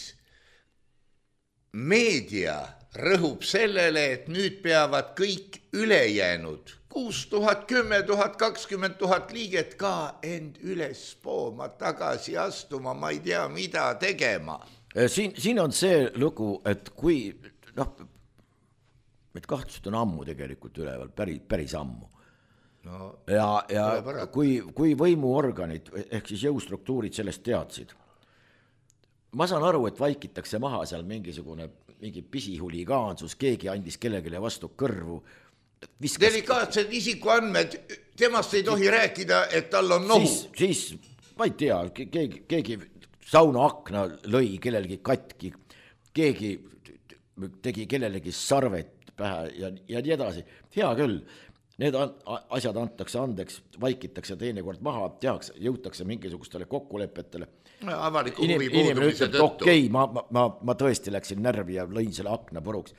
meedia rõhub sellele, et nüüd peavad kõik ülejäänud kuus tuhat, kümme tuhat, kakskümmend tuhat liiget ka end üles pooma, tagasi astuma, ma ei tea, mida tegema. Siin, siin on see lugu, et kui, noh, et kahtlused on ammu tegelikult üleval, päris, päris ammu. No, ja ja kui, kui võimuorganid ehk siis jõustruktuurid sellest teadsid, ma saan aru, et vaikitakse maha seal mingisugune mingi pisihuligaansus, keegi andis kellegile vastu kõrvu. Viskas... Delikaatsed isikuandmed, temast ei tohi rääkida, et tal on nohu. Siis, siis ma ei tea, keegi, keegi sauna akna lõi kellelegi katki, keegi tegi kellelegi sarvet pähe ja, ja nii edasi. Hea küll, need asjad antakse andeks, vaikitakse teinekord maha, tehakse, jõutakse mingisugustele kokkulepetele. Avaliku huvi puudumise tõttu. Okei, okay, ma, ma, ma tõesti läksin närvi ja lõin selle akna puruks.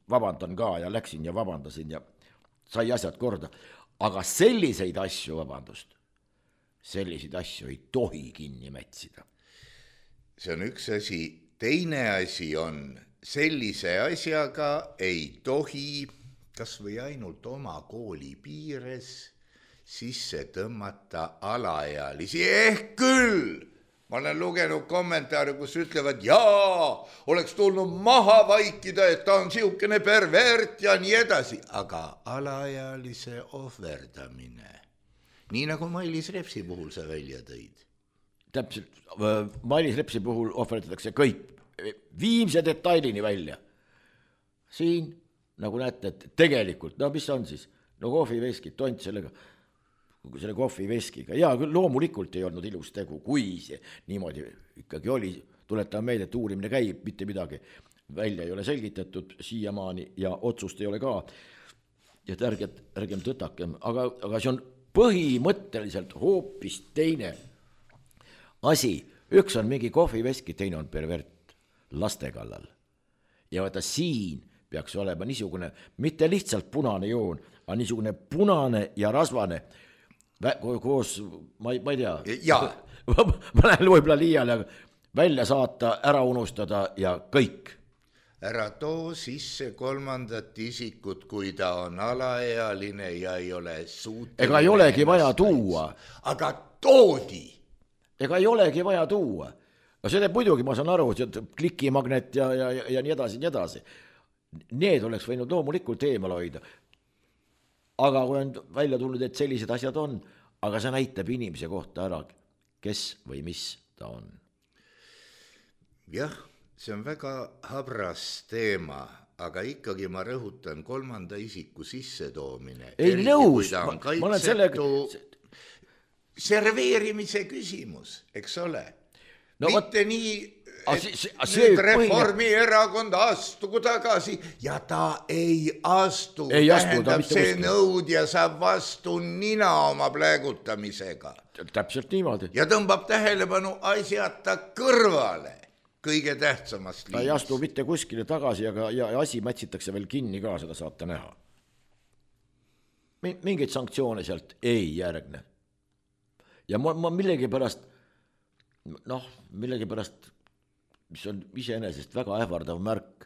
Vabandan ka ja läksin ja vabandasin ja sai asjad korda. Aga selliseid asju, vabandust, selliseid asju ei tohi kinni mätsida. See on üks asi. Teine asi on, sellise asjaga ei tohi, kas või ainult oma kooli piires, sisse tõmmata alaealisi. Ehk küll, ma olen lugenud kommentaare, kus ütlevad, jaa, oleks tulnud maha vaikida, et ta on siukene pervert ja nii edasi. Aga alaealise ohverdamine, nii nagu Mailis Repsi puhul sa välja tõid. Täpselt, Mailis Repsi puhul ohverdatakse kõik viimse detailini välja. Siin, nagu näete, et tegelikult, no mis on siis? No kohviveskid, tont sellega, selle kohviveskiga. Ja küll loomulikult ei olnud ilus tegu, kui see niimoodi ikkagi oli. Tuletame meelde, et uurimine käib, mitte midagi välja ei ole selgitatud siiamaani ja otsust ei ole ka. Ja ärgem, ärgem tõtakem, aga, aga see on põhimõtteliselt hoopis teine asi. Üks on mingi kohviveski, teine on pervert laste kallal. Ja vaata siin peaks olema niisugune, mitte lihtsalt punane joon, aga niisugune punane ja rasvane koos, ma ei, ma ei tea, ma lähen võib-olla liiale, välja saata, ära unustada ja kõik. Ära too sisse kolmandat isikut, kui ta on alaealine ja ei ole suuteline. Ega ei olegi vaja tuua. Aga toodi. Ega ei olegi vaja tuua. No see teeb muidugi, ma saan aru, klikimagnet ja, ja, ja, ja nii edasi, nii edasi. Need oleks võinud loomulikult eemal hoida. Aga kui on välja tulnud, et sellised asjad on, aga see näitab inimese kohta ära, kes või mis ta on. Jah, see on väga habras teema, aga ikkagi ma rõhutan kolmanda isiku sissetoomine. Ei nõus, ma, ma olen sellega... Serveerimise küsimus, eks ole? No, mitte võt... nii, et see, see, see nüüd Reformierakond astugu tagasi ja ta ei astu. Ei tähendab, astu see nõudja saab vastu nina oma plägutamisega. Täpselt niimoodi. Ja tõmbab tähelepanu asjata kõrvale kõige tähtsamast liinist. Ta ei astu mitte kuskile tagasi ja, ja asi mätsitakse veel kinni ka, seda saate näha. Mingeid sanktsioone sealt ei järgne. Ja ma, ma millegi pärast noh, millegi pärast, mis on iseenesest väga ähvardav märk,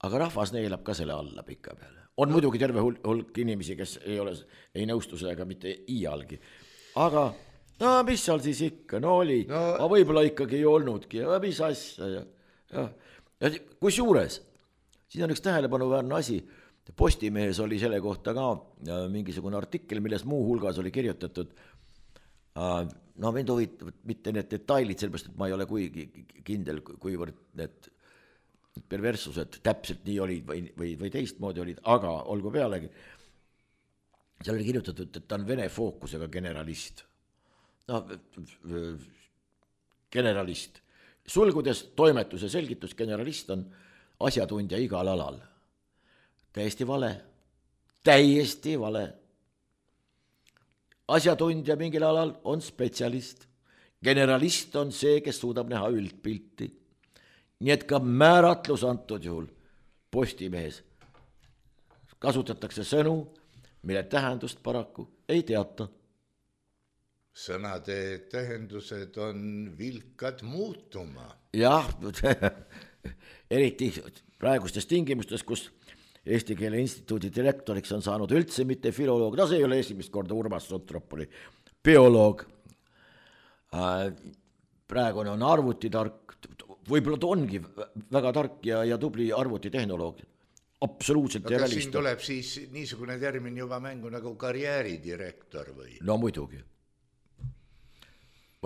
aga rahvas neelab ka selle alla pika peale. On no. muidugi terve hulk, hulk inimesi, kes ei ole, ei nõustu sellega mitte iialgi. Aga no mis seal siis ikka, no oli, no. aga võib-olla ikkagi ei olnudki, ja mis asja. Ja, ja. Ja kus juures, siin on üks tähelepanuväärne asi, Postimehes oli selle kohta ka mingisugune artikkel, milles muu hulgas oli kirjutatud, no mind huvitavad mitte need detailid, sellepärast, et ma ei ole kuigi kindel, kuivõrd need perverssused täpselt nii olid või, või, või teistmoodi olid, aga olgu pealegi. Seal oli kirjutatud, et ta on vene fookusega generalist. No, generalist. Sulgudes toimetuse selgitus, generalist on asjatundja igal alal. Täiesti vale. Täiesti vale. Asjatundja mingil alal on spetsialist. Generalist on see, kes suudab näha üldpilti. Nii et ka määratlus antud juhul Postimehes kasutatakse sõnu, mille tähendust paraku ei teata. Sõnade tähendused on vilkad muutuma. Jah, eriti praegustes tingimustes, kus Eesti Keele Instituudi direktoriks on saanud üldse mitte filoloog, no see ei ole esimest korda Urmas Sotropoli, bioloog. Praegune on arvutitark, võib-olla ta ongi väga tark ja, ja tubli arvutitehnoloog. Absoluutselt ja realist. Siin tuleb siis niisugune termin juba mängu nagu karjääridirektor või? No muidugi.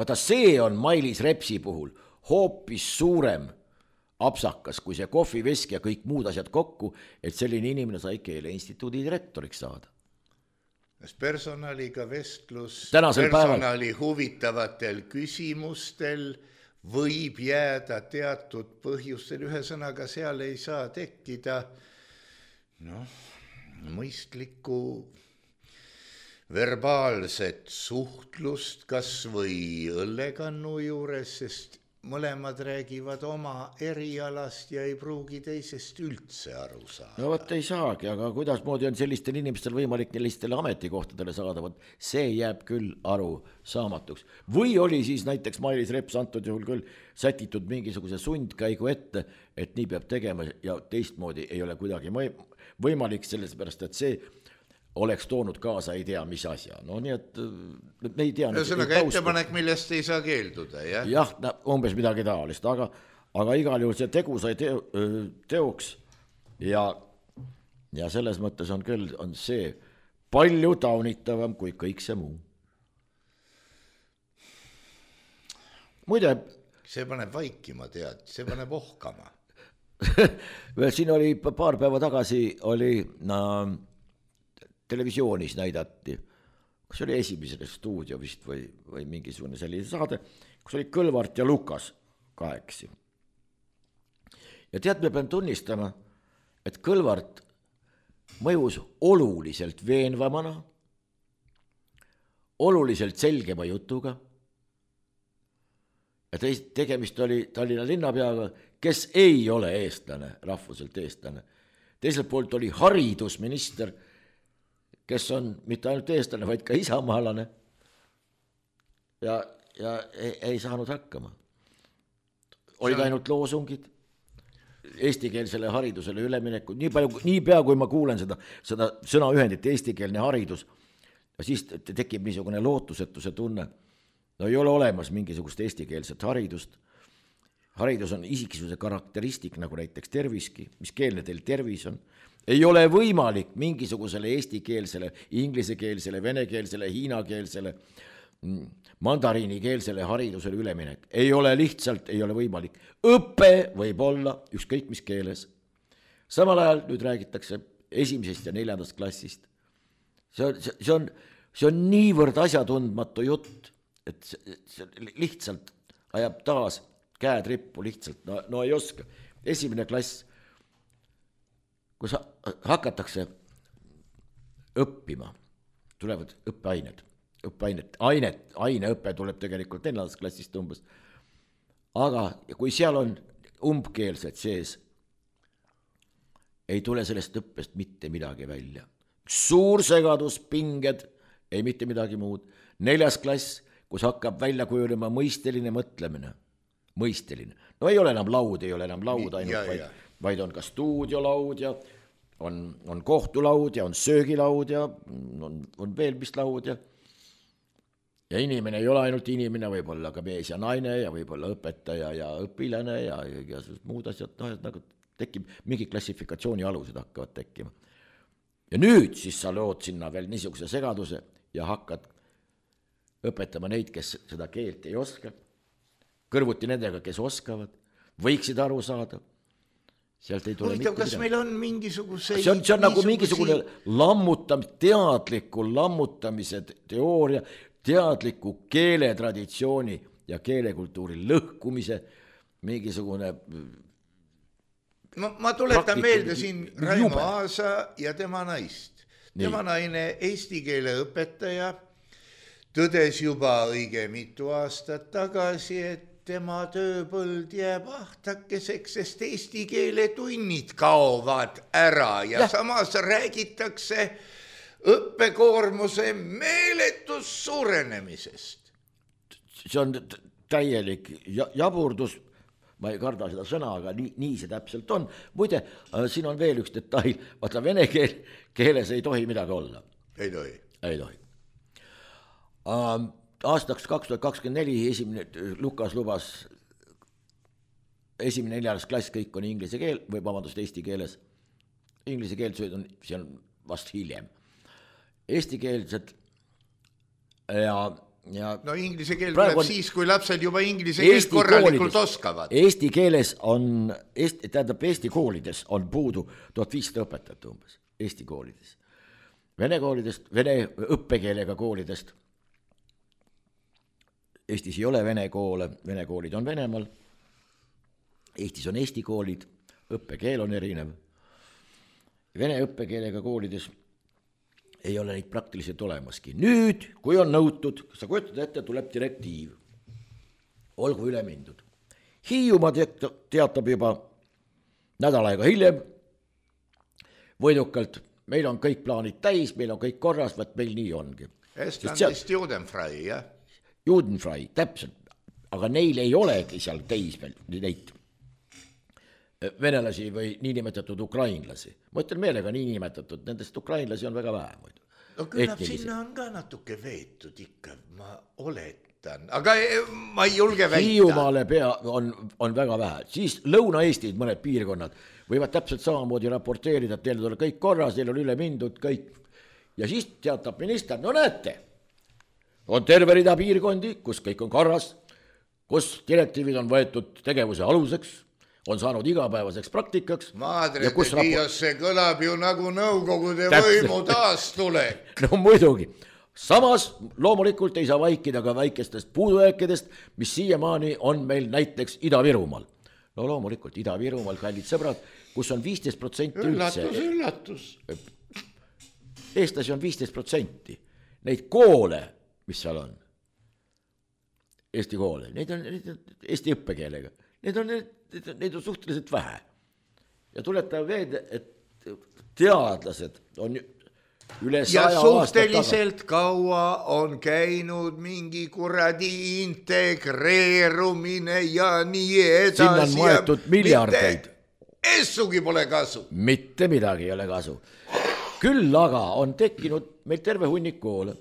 Vaata, see on Mailis Repsi puhul hoopis suurem apsakas, kui see kohvivesk ja kõik muud asjad kokku, et selline inimene sai Keele Instituudi direktoriks saada. Personaliga vestlus, tänasel personali päeval huvitavatel küsimustel võib jääda teatud põhjustel, ühesõnaga seal ei saa tekkida noh, mõistlikku verbaalset suhtlust kas või õllekannu juures, sest mõlemad räägivad oma erialast ja ei pruugi teisest üldse aru saada. No võt ei saagi, aga kuidas moodi on sellistel inimestel võimalik sellistele ametikohtadele saada, võt see jääb küll aru saamatuks. Või oli siis näiteks Mailis Reps antud juhul küll sätitud mingisuguse sundkäigu ette, et nii peab tegema ja teistmoodi ei ole kuidagi võimalik selles pärast, et see oleks toonud kaasa ei tea mis asja. No nii, et me ei tea. Ühesõnaga ettepanek, millest ei saa keelduda, jah? Jah, umbes midagi taolist, aga, aga igal juhul see tegu sai teo, teoks ja, ja selles mõttes on küll on see palju taunitavam kui kõik see muu. Muide, see paneb vaikima, tead, see paneb ohkama. Siin oli paar päeva tagasi oli na, televisioonis näidati, kus oli esimesele stuudio vist või, või mingisugune selline saade, kus oli Kõlvart ja Lukas kaheksi. Ja tead, me pean tunnistama, et Kõlvart mõjus oluliselt veenvamana, oluliselt selgema jutuga ja teist, tegemist oli Tallinna linnapeaga, kes ei ole eestlane, rahvuselt eestlane. Teiselt poolt oli haridusminister, kes on mitte ainult eestlane, vaid ka isamaalane. Ja ja ei, ei saanud hakkama. Olid on... ainult loosungid, eestikeelsele haridusele üleminekud, nii palju, nii pea kui ma kuulen seda, seda sõnaühendit eestikeelne haridus, ja siis tekib niisugune lootusetuse tunne, no ei ole olemas mingisugust eestikeelset haridust, haridus on isiksuse karakteristik, nagu näiteks terviski, mis keelne teil tervis on, ei ole võimalik mingisugusele eestikeelsele, inglisekeelsele, venekeelsele, hiinakeelsele, mandariinikeelsele haridusele üleminek. Ei ole lihtsalt, ei ole võimalik. Õppe võib olla ükskõik mis keeles. Samal ajal nüüd räägitakse esimesest ja neljandast klassist. See on, see on, see on niivõrd asjatundmatu jutt, et see, see lihtsalt ajab taas käed rippu lihtsalt, no, no ei oska. Esimene klass, kus hakatakse õppima, tulevad õppeained, õppeainet, ainet, aineõpe tuleb tegelikult neljandast klassist umbes, aga kui seal on umbkeelsed sees, ei tule sellest õppest mitte midagi välja. Suur segadus, pinged, ei mitte midagi muud. Neljas klass, kus hakkab välja kujulema mõisteline mõtlemine, mõisteline. No ei ole enam laud, ei ole enam laud ainult, ja, vaid, ja. vaid on ka stuudiolaud ja on, on kohtulaud ja on söögilaud ja on, on veel mis laud ja ja inimene ei ole ainult inimene, võib olla ka mees ja naine ja võib olla õpetaja ja õpilane ja, ja, ja muud asjad, no, nagu tekib, mingi klassifikatsiooni alused hakkavad tekkima. Ja nüüd siis sa lood sinna veel niisuguse segaduse ja hakkad õpetama neid, kes seda keelt ei oska, kõrvuti nendega, kes oskavad, võiksid aru saada. Sealt ei tule Huvitav, kas midagi. Meil on mingisuguse... See on, see on nagu mingisugune lammutam, teadliku lammutamise teooria, teadliku keeletraditsiooni ja keelekultuuri lõhkumise, mingisugune... Ma, ma tuletan meelde siin Raimo Aasa ja tema naist. Tema Nii. naine, eesti keele õpetaja, tõdes juba õige mitu aastat tagasi, et tema tööpõld jääb ahtakeseks, sest eesti keele tunnid kaovad ära ja, ja. samas räägitakse õppekoormuse meeletus suurenemisest. See on täielik jaburdus, ma ei karda seda sõna, aga nii, nii see täpselt on. Muide, siin on veel üks detail, vaata vene keel, keeles ei tohi midagi olla. Ei tohi. Ei tohi. Um, aastaks kaks tuhat kakskümmend neli esimene, Lukas lubas esimene neljas klass, kõik on inglise keel, või vabandust, eesti keeles. Inglise keelsed on, see on vast hiljem. Eesti keelsed ja, ja no inglise keel tuleb on, siis, kui lapsed juba inglise keelt korralikult koolides, oskavad. Eesti keeles on, Eesti, tähendab Eesti koolides on puudu tuhat viissada õpetajat umbes, Eesti koolides. Vene koolidest, vene õppekeelega koolidest, Eestis ei ole vene koole, vene koolid on Venemaal, Eestis on Eesti koolid, õppekeel on erinev. Vene õppekeelega koolides ei ole neid praktiliselt olemaski. Nüüd, kui on nõutud, sa kujutad ette, tuleb direktiiv, olgu üle mindud. Hiiumaa teatab juba nädal aega hiljem, võidukalt, meil on kõik plaanid täis, meil on kõik korras, vaat meil nii ongi. Estlandist Judenfrei, jah? Judenfrei, täpselt, aga neil ei olegi seal teis veel neid venelasi või niinimetatud ukrainlasi. Ma ütlen meelega niinimetatud, nendest ukrainlasi on väga vähe. No küllap sinna on ka natuke veetud ikka, ma oletan, aga ma ei julge väita. Hiiumaale pea on, on väga vähe, siis Lõuna-Eestid, mõned piirkonnad, võivad täpselt samamoodi raporteerida, et teil on kõik korras, teil on üle mindud, kõik. Ja siis teatab minister, no näete, on terve rida piirkondi, kus kõik on korras, kus direktiivid on võetud tegevuse aluseks, on saanud igapäevaseks praktikaks. Madre de Dios, see kõlab ju nagu nõukogude võimu taastulek. No muidugi. Samas loomulikult ei saa vaikida ka väikestest puudujääkidest, mis siiamaani on meil näiteks Ida-Virumaal. No loomulikult Ida-Virumaal, kallid sõbrad, kus on viisteist protsenti üldse. Üllatus, üllatus. Eestlasi on viisteist protsenti. Neid koole, mis seal on, Eesti koole, neid on, neid on Eesti õppekeelega, neid on, neid on suhteliselt vähe. Ja tuleta veed, et teadlased on üle ja saja suhteliselt kaua on käinud mingi kuradi integreerumine ja nii edasi. Sinna on maetud miljardeid. Essugi pole kasu. Mitte midagi ei ole kasu. Küll aga on tekkinud meil terve hunnik koole,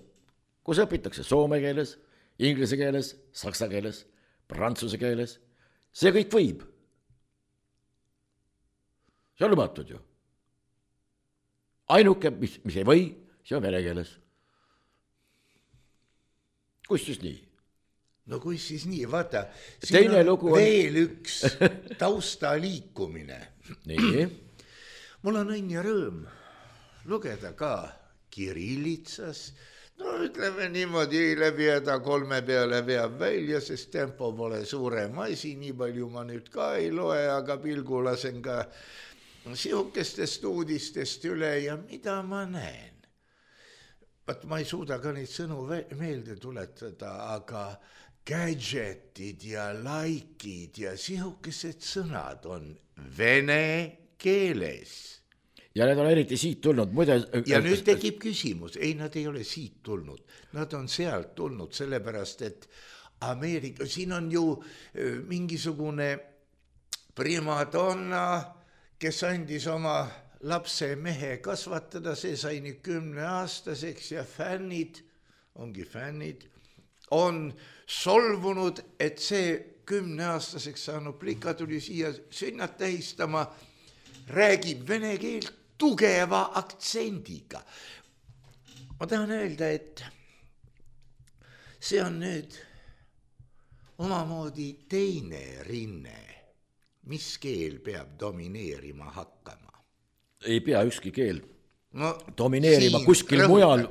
kus õpitakse soome keeles, inglise keeles, saksa keeles, prantsuse keeles. See kõik võib. See on lubatud ju. Ainuke, mis, mis ei või, see on vene keeles. Kus siis nii? No kui siis nii, vaata, Teine siin on lugu on... veel üks tausta liikumine. Nii. Mul on õnn ja rõõm lugeda ka kirillitsas. No ütleme niimoodi, läbi häda kolme peale veab välja, sest tempo pole suurem asi, nii palju ma nüüd ka ei loe, aga pilgu lasen ka sihukestest uudistest üle ja mida ma näen. Vaat ma ei suuda ka neid sõnu meelde tuletada, aga gadgetid ja likeid ja sihukesed sõnad on vene keeles. Ja need on eriti siit tulnud. Muide, ja nüüd tekib küsimus, ei, nad ei ole siit tulnud, nad on sealt tulnud, sellepärast et Ameerika, siin on ju mingisugune primadonna, kes andis oma lapse mehe kasvatada, see sai nüüd kümne aastaseks ja fännid, ongi fännid, on solvunud, et see kümne aastaseks saanud plika tuli siia sünnat tähistama, räägib vene keelt tugeva aktsendiga. Ma tahan öelda, et see on nüüd omamoodi teine rinne, mis keel peab domineerima hakkama. Ei pea ükski keel no, domineerima kuskil mujal,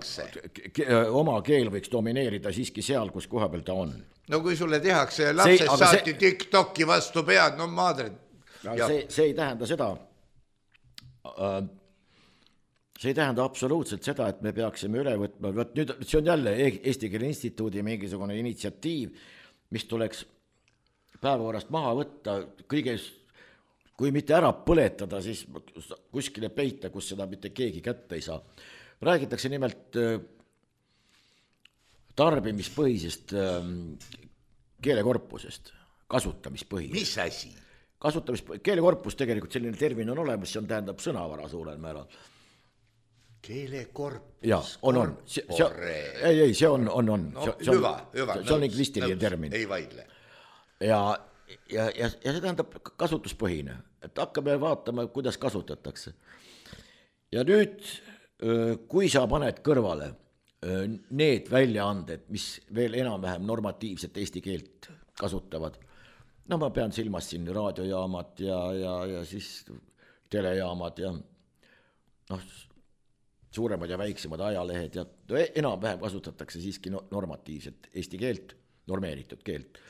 oma keel võiks domineerida siiski seal, kus koha peal ta on. No kui sulle tehakse lapsed see, saati see... TikToki vastu pead, no maadred. No, see, see ei tähenda seda, see ei tähenda absoluutselt seda, et me peaksime üle võtma, võt nüüd see on jälle Eesti Keele Instituudi mingisugune initsiatiiv, mis tuleks päevakorrast maha võtta, kõiges, kui mitte ära põletada, siis kuskile peita, kus seda mitte keegi kätte ei saa. Räägitakse nimelt tarbimispõhisest keelekorpusest, kasutamispõhisest. Mis asi? Kasutamispõhisest, keelekorpus tegelikult selline termin on olemas, see on tähendab sõnavara suurel määral. Keelekorpus? Jaa, on, on. See, see, ei, ei, see on, on, on. No, see on, hüva, hüva. See on lingvistiline termin. Ei vaidle. Ja, ja, ja, ja see tähendab kasutuspõhine, et hakkame vaatama, kuidas kasutatakse. Ja nüüd, kui sa paned kõrvale need väljaanded, mis veel enam-vähem normatiivset eesti keelt kasutavad, no ma pean silmas siin raadiojaamad ja, ja, ja siis telejaamad ja noh, suuremad ja väiksemad ajalehed ja enam-vähem kasutatakse siiski normatiivset eesti keelt, normeeritud keelt.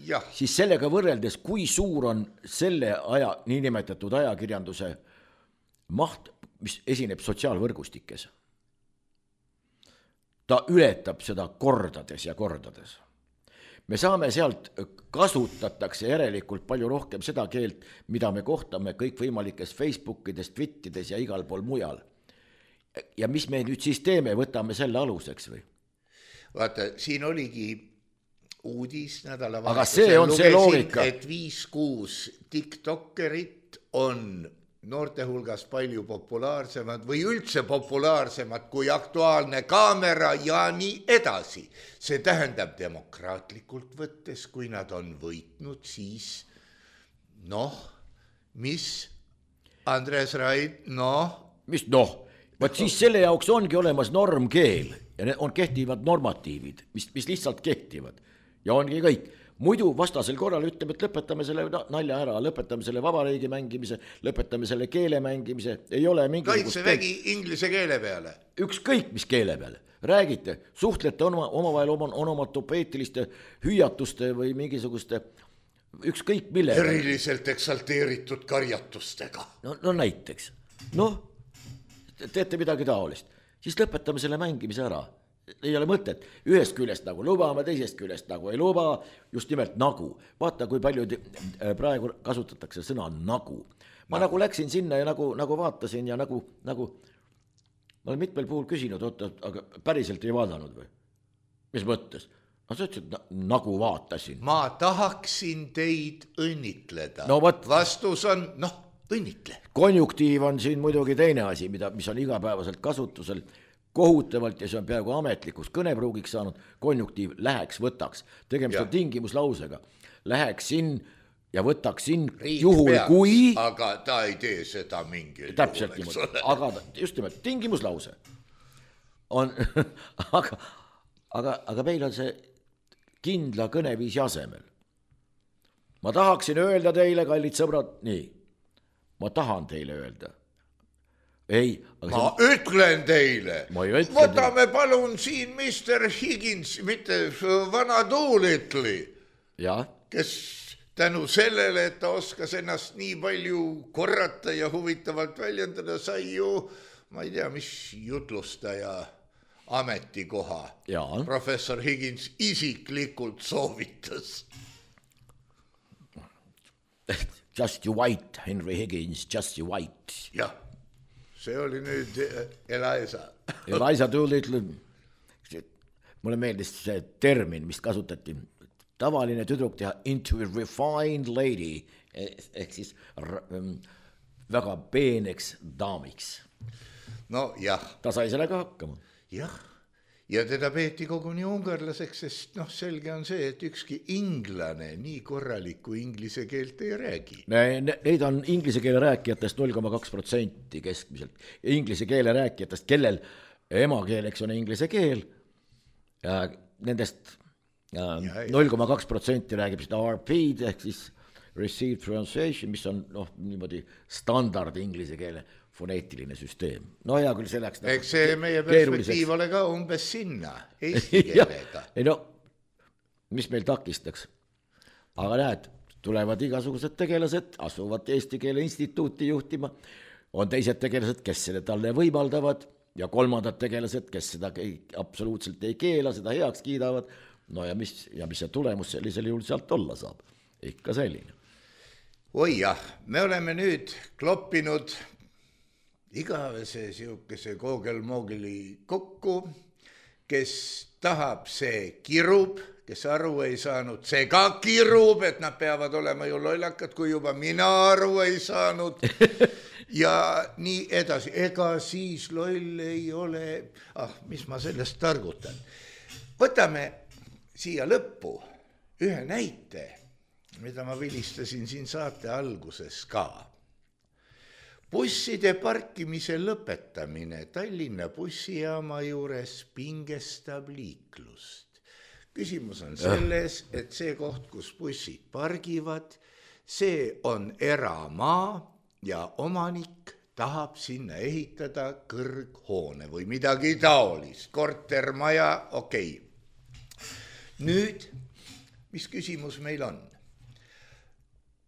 Ja. Siis sellega võrreldes, kui suur on selle aja, niinimetatud ajakirjanduse maht, mis esineb sotsiaalvõrgustikes. Ta ületab seda kordades ja kordades. Me saame sealt, kasutatakse järelikult palju rohkem seda keelt, mida me kohtame kõik võimalikes Facebookides, Twittides ja igal pool mujal. Ja mis me nüüd siis teeme, võtame selle aluseks või? Vaata, siin oligi uudis nädala aga see on see loogika, et viis kuus TikTokerit on noorte hulgas palju populaarsemad või üldse populaarsemad kui Aktuaalne kaamera ja nii edasi. See tähendab demokraatlikult võttes, kui nad on võitnud, siis noh, mis Andres Raid, noh? Mis noh? Vaat siis selle jaoks ongi olemas normkeel ja on kehtivad normatiivid, mis, mis lihtsalt kehtivad. Ja ongi kõik. Muidu vastasel korral ütleme, et lõpetame selle nalja ära, lõpetame selle vabariigi mängimise, lõpetame selle keele mängimise. Ei ole mingi kaitsevägi inglise keele peale. Ükskõik mis keele peale. Räägite, suhtlete oma, omavahel oma, onomatopeetiliste hüüatuste või mingisuguste ükskõik mille. Eriliselt eksalteeritud karjatustega. No, no näiteks. Noh, teete midagi taolist. Siis lõpetame selle mängimise ära. Ei ole mõtet, ühest küljest nagu lubame, teisest küljest nagu ei luba, just nimelt nagu. Vaata, kui palju praegu kasutatakse sõna nagu. Ma no. nagu läksin sinna ja nagu, nagu vaatasin ja nagu, nagu ma olen mitmel puhul küsinud, oota, aga päriselt ei vaadanud või? Mis mõttes? No sa ütlesid, nagu vaatasin. Ma tahaksin teid õnnitleda. No võt... Vastus on, noh, õnnitle. Konjunktiiv on siin muidugi teine asi, mida, mis on igapäevaselt kasutusel kohutavalt ja see on peaaegu ametlikus kõnepruugiks saanud. Konjunktiiv läheks, võtaks. Tegemist on tingimuslausega. Läheksin ja võtaksin Riik juhul peaks, kui... Aga ta ei tee seda mingil täpselt juhul, aga just nimelt tingimuslause on aga, aga, aga meil on see kindla kõneviisi asemel. Ma tahaksin öelda teile, kallid sõbrad, nii, ma tahan teile öelda. Ei, aga ma see... ütlen teile, võtame teile. Palun siin mister Higgins, mitte vana Doolitli, kes tänu sellele, et ta oskas ennast nii palju korrata ja huvitavalt väljendada, sai ju, ma ei tea, mis jutlustaja ametikoha. Ja. Professor Higgins isiklikult soovitas. Just you white, Henry Higgins, just you white. Jah, see oli nüüd Eliza. Eliza Doolittle, mulle meeldis see termin, mis kasutati. Tavaline tüdruk teha into a refined lady, ehk siis väga peeneks daamiks. No jah. Ta sai sellega hakkama. Jah, ja teda peeti koguni ungarlaseks, sest noh, selge on see, et ükski inglane nii korralikku inglise keelt ei räägi. Neid on inglise keele rääkijatest null koma kaks protsenti keskmiselt. Inglise keele rääkijatest, kellel emakeeleks on inglise keel, ja nendest... null koma kaks protsenti räägib seda R P-d ehk siis received pronunciation, mis on noh, niimoodi standard inglise keele foneetiline süsteem. No hea küll see läks eks see meie perspektiiv ole ka umbes sinna eesti keelega. Ei no, mis meil takistaks? Aga näed, tulevad igasugused tegelased, asuvad Eesti Keele Instituuti juhtima, on teised tegelased, kes selle talle võimaldavad ja kolmandad tegelased, kes seda absoluutselt ei keela, seda heaks kiidavad. No ja mis, ja mis see tulemus sellisel juhul sealt olla saab? Ikka selline. Oi jah, me oleme nüüd kloppinud igavese siukese koogelmoogili kokku, kes tahab, see kirub, kes aru ei saanud, see ka kirub, et nad peavad olema ju lollakad, kui juba mina aru ei saanud. Ja nii edasi, ega siis loll ei ole, ah, mis ma sellest targutan. Võtame siia lõppu ühe näite, mida ma vilistasin siin saate alguses ka. Busside parkimise lõpetamine Tallinna bussijaama juures pingestab liiklust. Küsimus on selles, et see koht, kus bussid pargivad, see on eramaa ja omanik tahab sinna ehitada kõrghoone või midagi taolist, kortermaja, okei. Okay. Nüüd, mis küsimus meil on?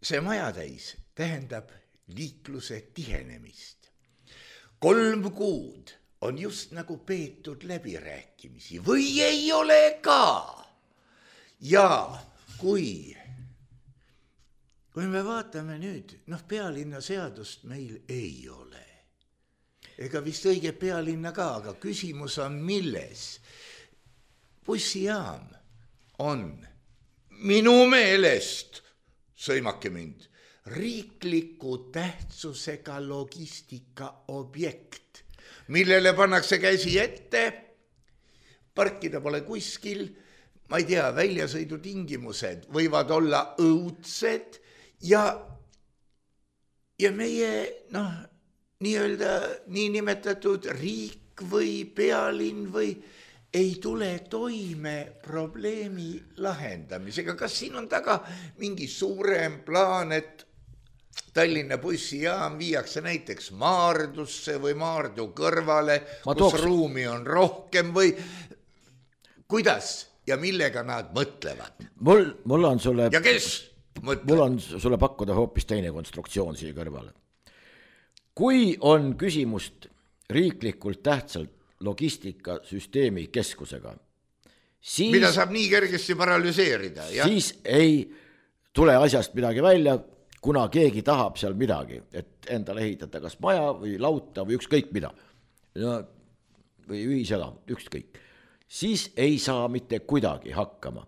See majatäis tähendab liikluse tihenemist. Kolm kuud on just nagu peetud läbirääkimisi või ei ole ka. Ja kui, kui me vaatame nüüd, noh, pealinna seadust meil ei ole. Ega vist õige pealinna ka, aga küsimus on milles? Bussijaam on minu meelest, sõimake mind, riikliku tähtsusega logistika objekt, millele pannakse käsi ette, parkida pole kuskil, ma ei tea, väljasõidutingimused võivad olla õudsed ja, ja meie, noh, nii-öelda niinimetatud riik või pealinn või ei tule toime probleemi lahendamisega. Kas siin on taga mingi suurem plaan, et Tallinna bussijaam viiakse näiteks Maardusse või Maardu kõrvale, kus tooks... ruumi on rohkem või kuidas ja millega nad mõtlevad? Mul, mul on sulle... Ja kes mõtleb? Mul on sulle pakkuda hoopis teine konstruktsioon siia kõrvale. Kui on küsimust riiklikult tähtsalt logistikasüsteemi keskusega, siis... Mida saab nii kergesti paralüseerida, jah? Siis ei tule asjast midagi välja, kuna keegi tahab seal midagi, et endale ehitada kas maja või lauta või ükskõik mida. Ja või ühiselamu, ükskõik, siis ei saa mitte kuidagi hakkama.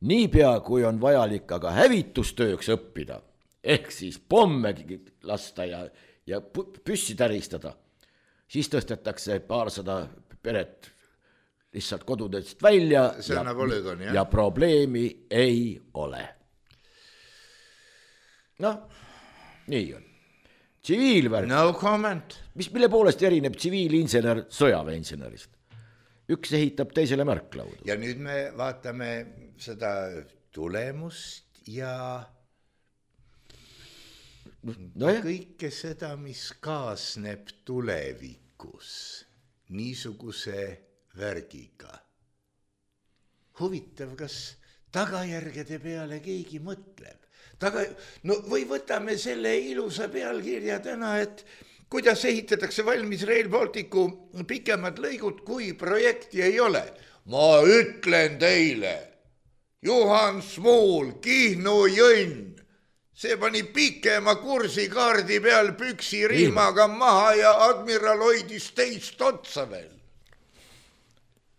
Niipea, kui on vajalik aga hävitustööks õppida, ehk siis pomme lasta ja, ja püssi täristada, siis tõstetakse paarsada peret lihtsalt kodudest välja ja, polügon, ja probleemi ei ole. Noh, nii on. Tsiviilvärk. No comment. Mis, mille poolest erineb tsiviilinsener sõjaväeinsenerist? Üks ehitab teisele märklaudu. Ja nüüd me vaatame seda tulemust ja no kõike seda, mis kaasneb tulevikus niisuguse värgiga. Huvitav, kas tagajärgede peale keegi mõtleb? Taga, no või võtame selle ilusa pealkirja täna, et kuidas ehitatakse valmis Rail Balticu pikemad lõigud, kui projekti ei ole. Ma ütlen teile, Juhan Smuul, Kihnu Jõnn, see pani pikema kursi kaardi peal püksi riimaga maha ja admiral hoidis teist otsa veel.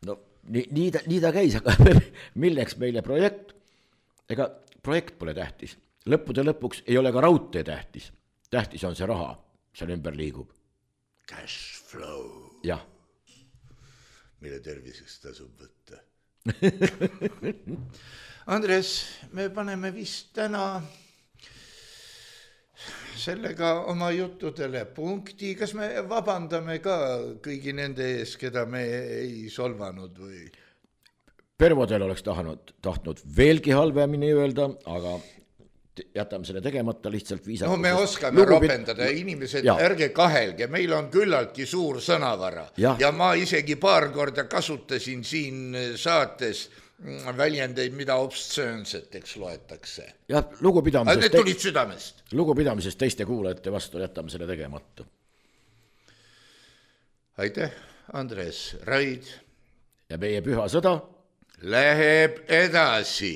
No nii, nii, ta, nii ta käis, aga milleks meile projekt? Ega projekt pole tähtis. Lõppude lõpuks ei ole ka raudtee tähtis. Tähtis on see raha, seal ümber liigub. Cash flow. Jah. Mille terviseks tasub võtta. Andres, me paneme vist täna sellega oma juttudele punkti. Kas me vabandame ka kõigi nende ees, keda me ei solvanud või? Pervodel oleks tahtnud, tahtnud veelgi halvemini öelda, aga jätame selle tegemata lihtsalt viisakusest. No me oskame Lugupid... ropendada, inimesed, ja. Ärge kahelge, meil on küllaltki suur sõnavara ja. ja ma isegi paar korda kasutasin siin saates väljendeid, mida obstsöönseteks loetakse. Ja lugupidamisest, need tulid südamest. Lugupidamisest teiste kuulajate vastu jätame selle tegemata. Aitäh, Andres Raid. Ja meie püha sõda läheb edasi.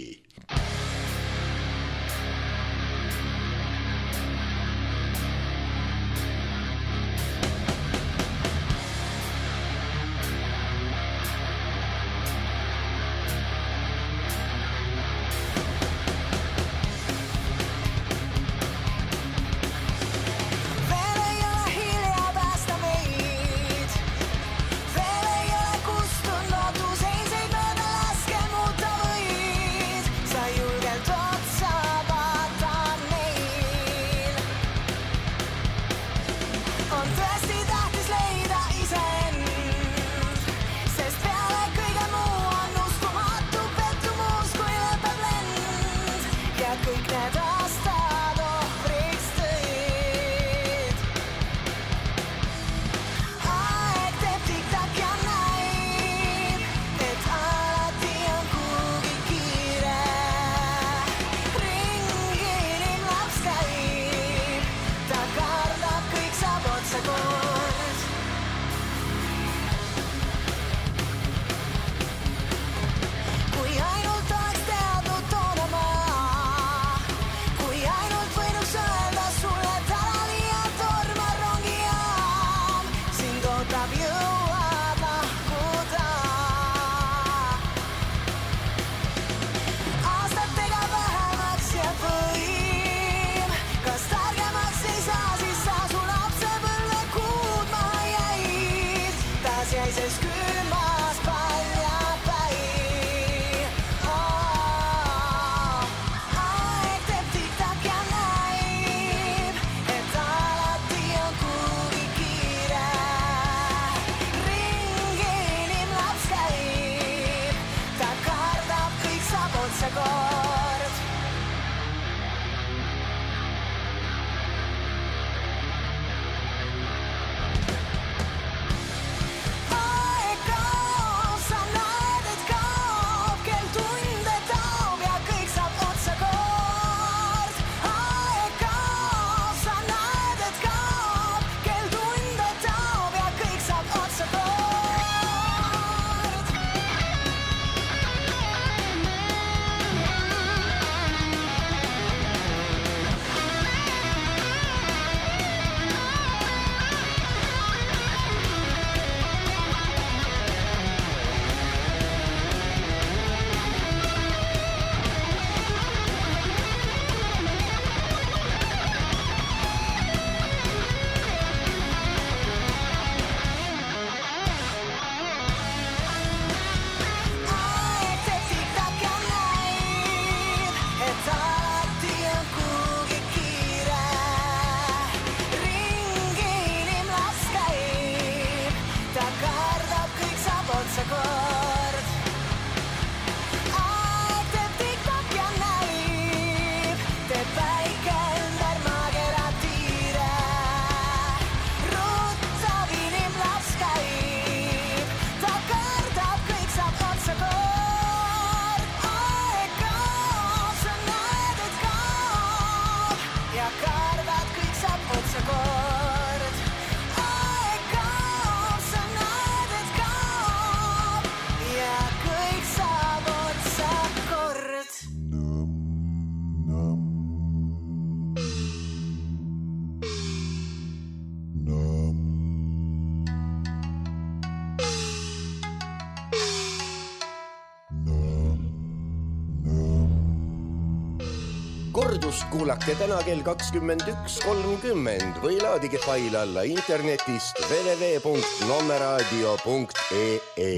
kordust kuulake täna kell kakskümmend üks kolmkümmend või laadige fail alla internetist w w w punkt nommeraadio punkt e e.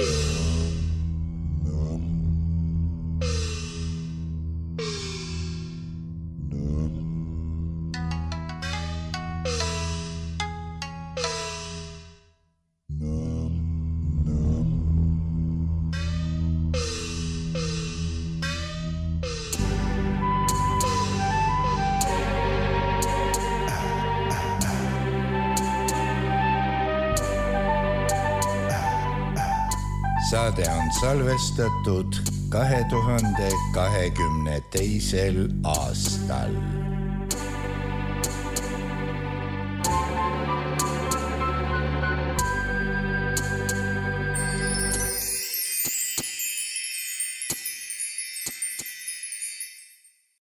Saade on salvestatud kahe tuhande kahekümne teisel aastal.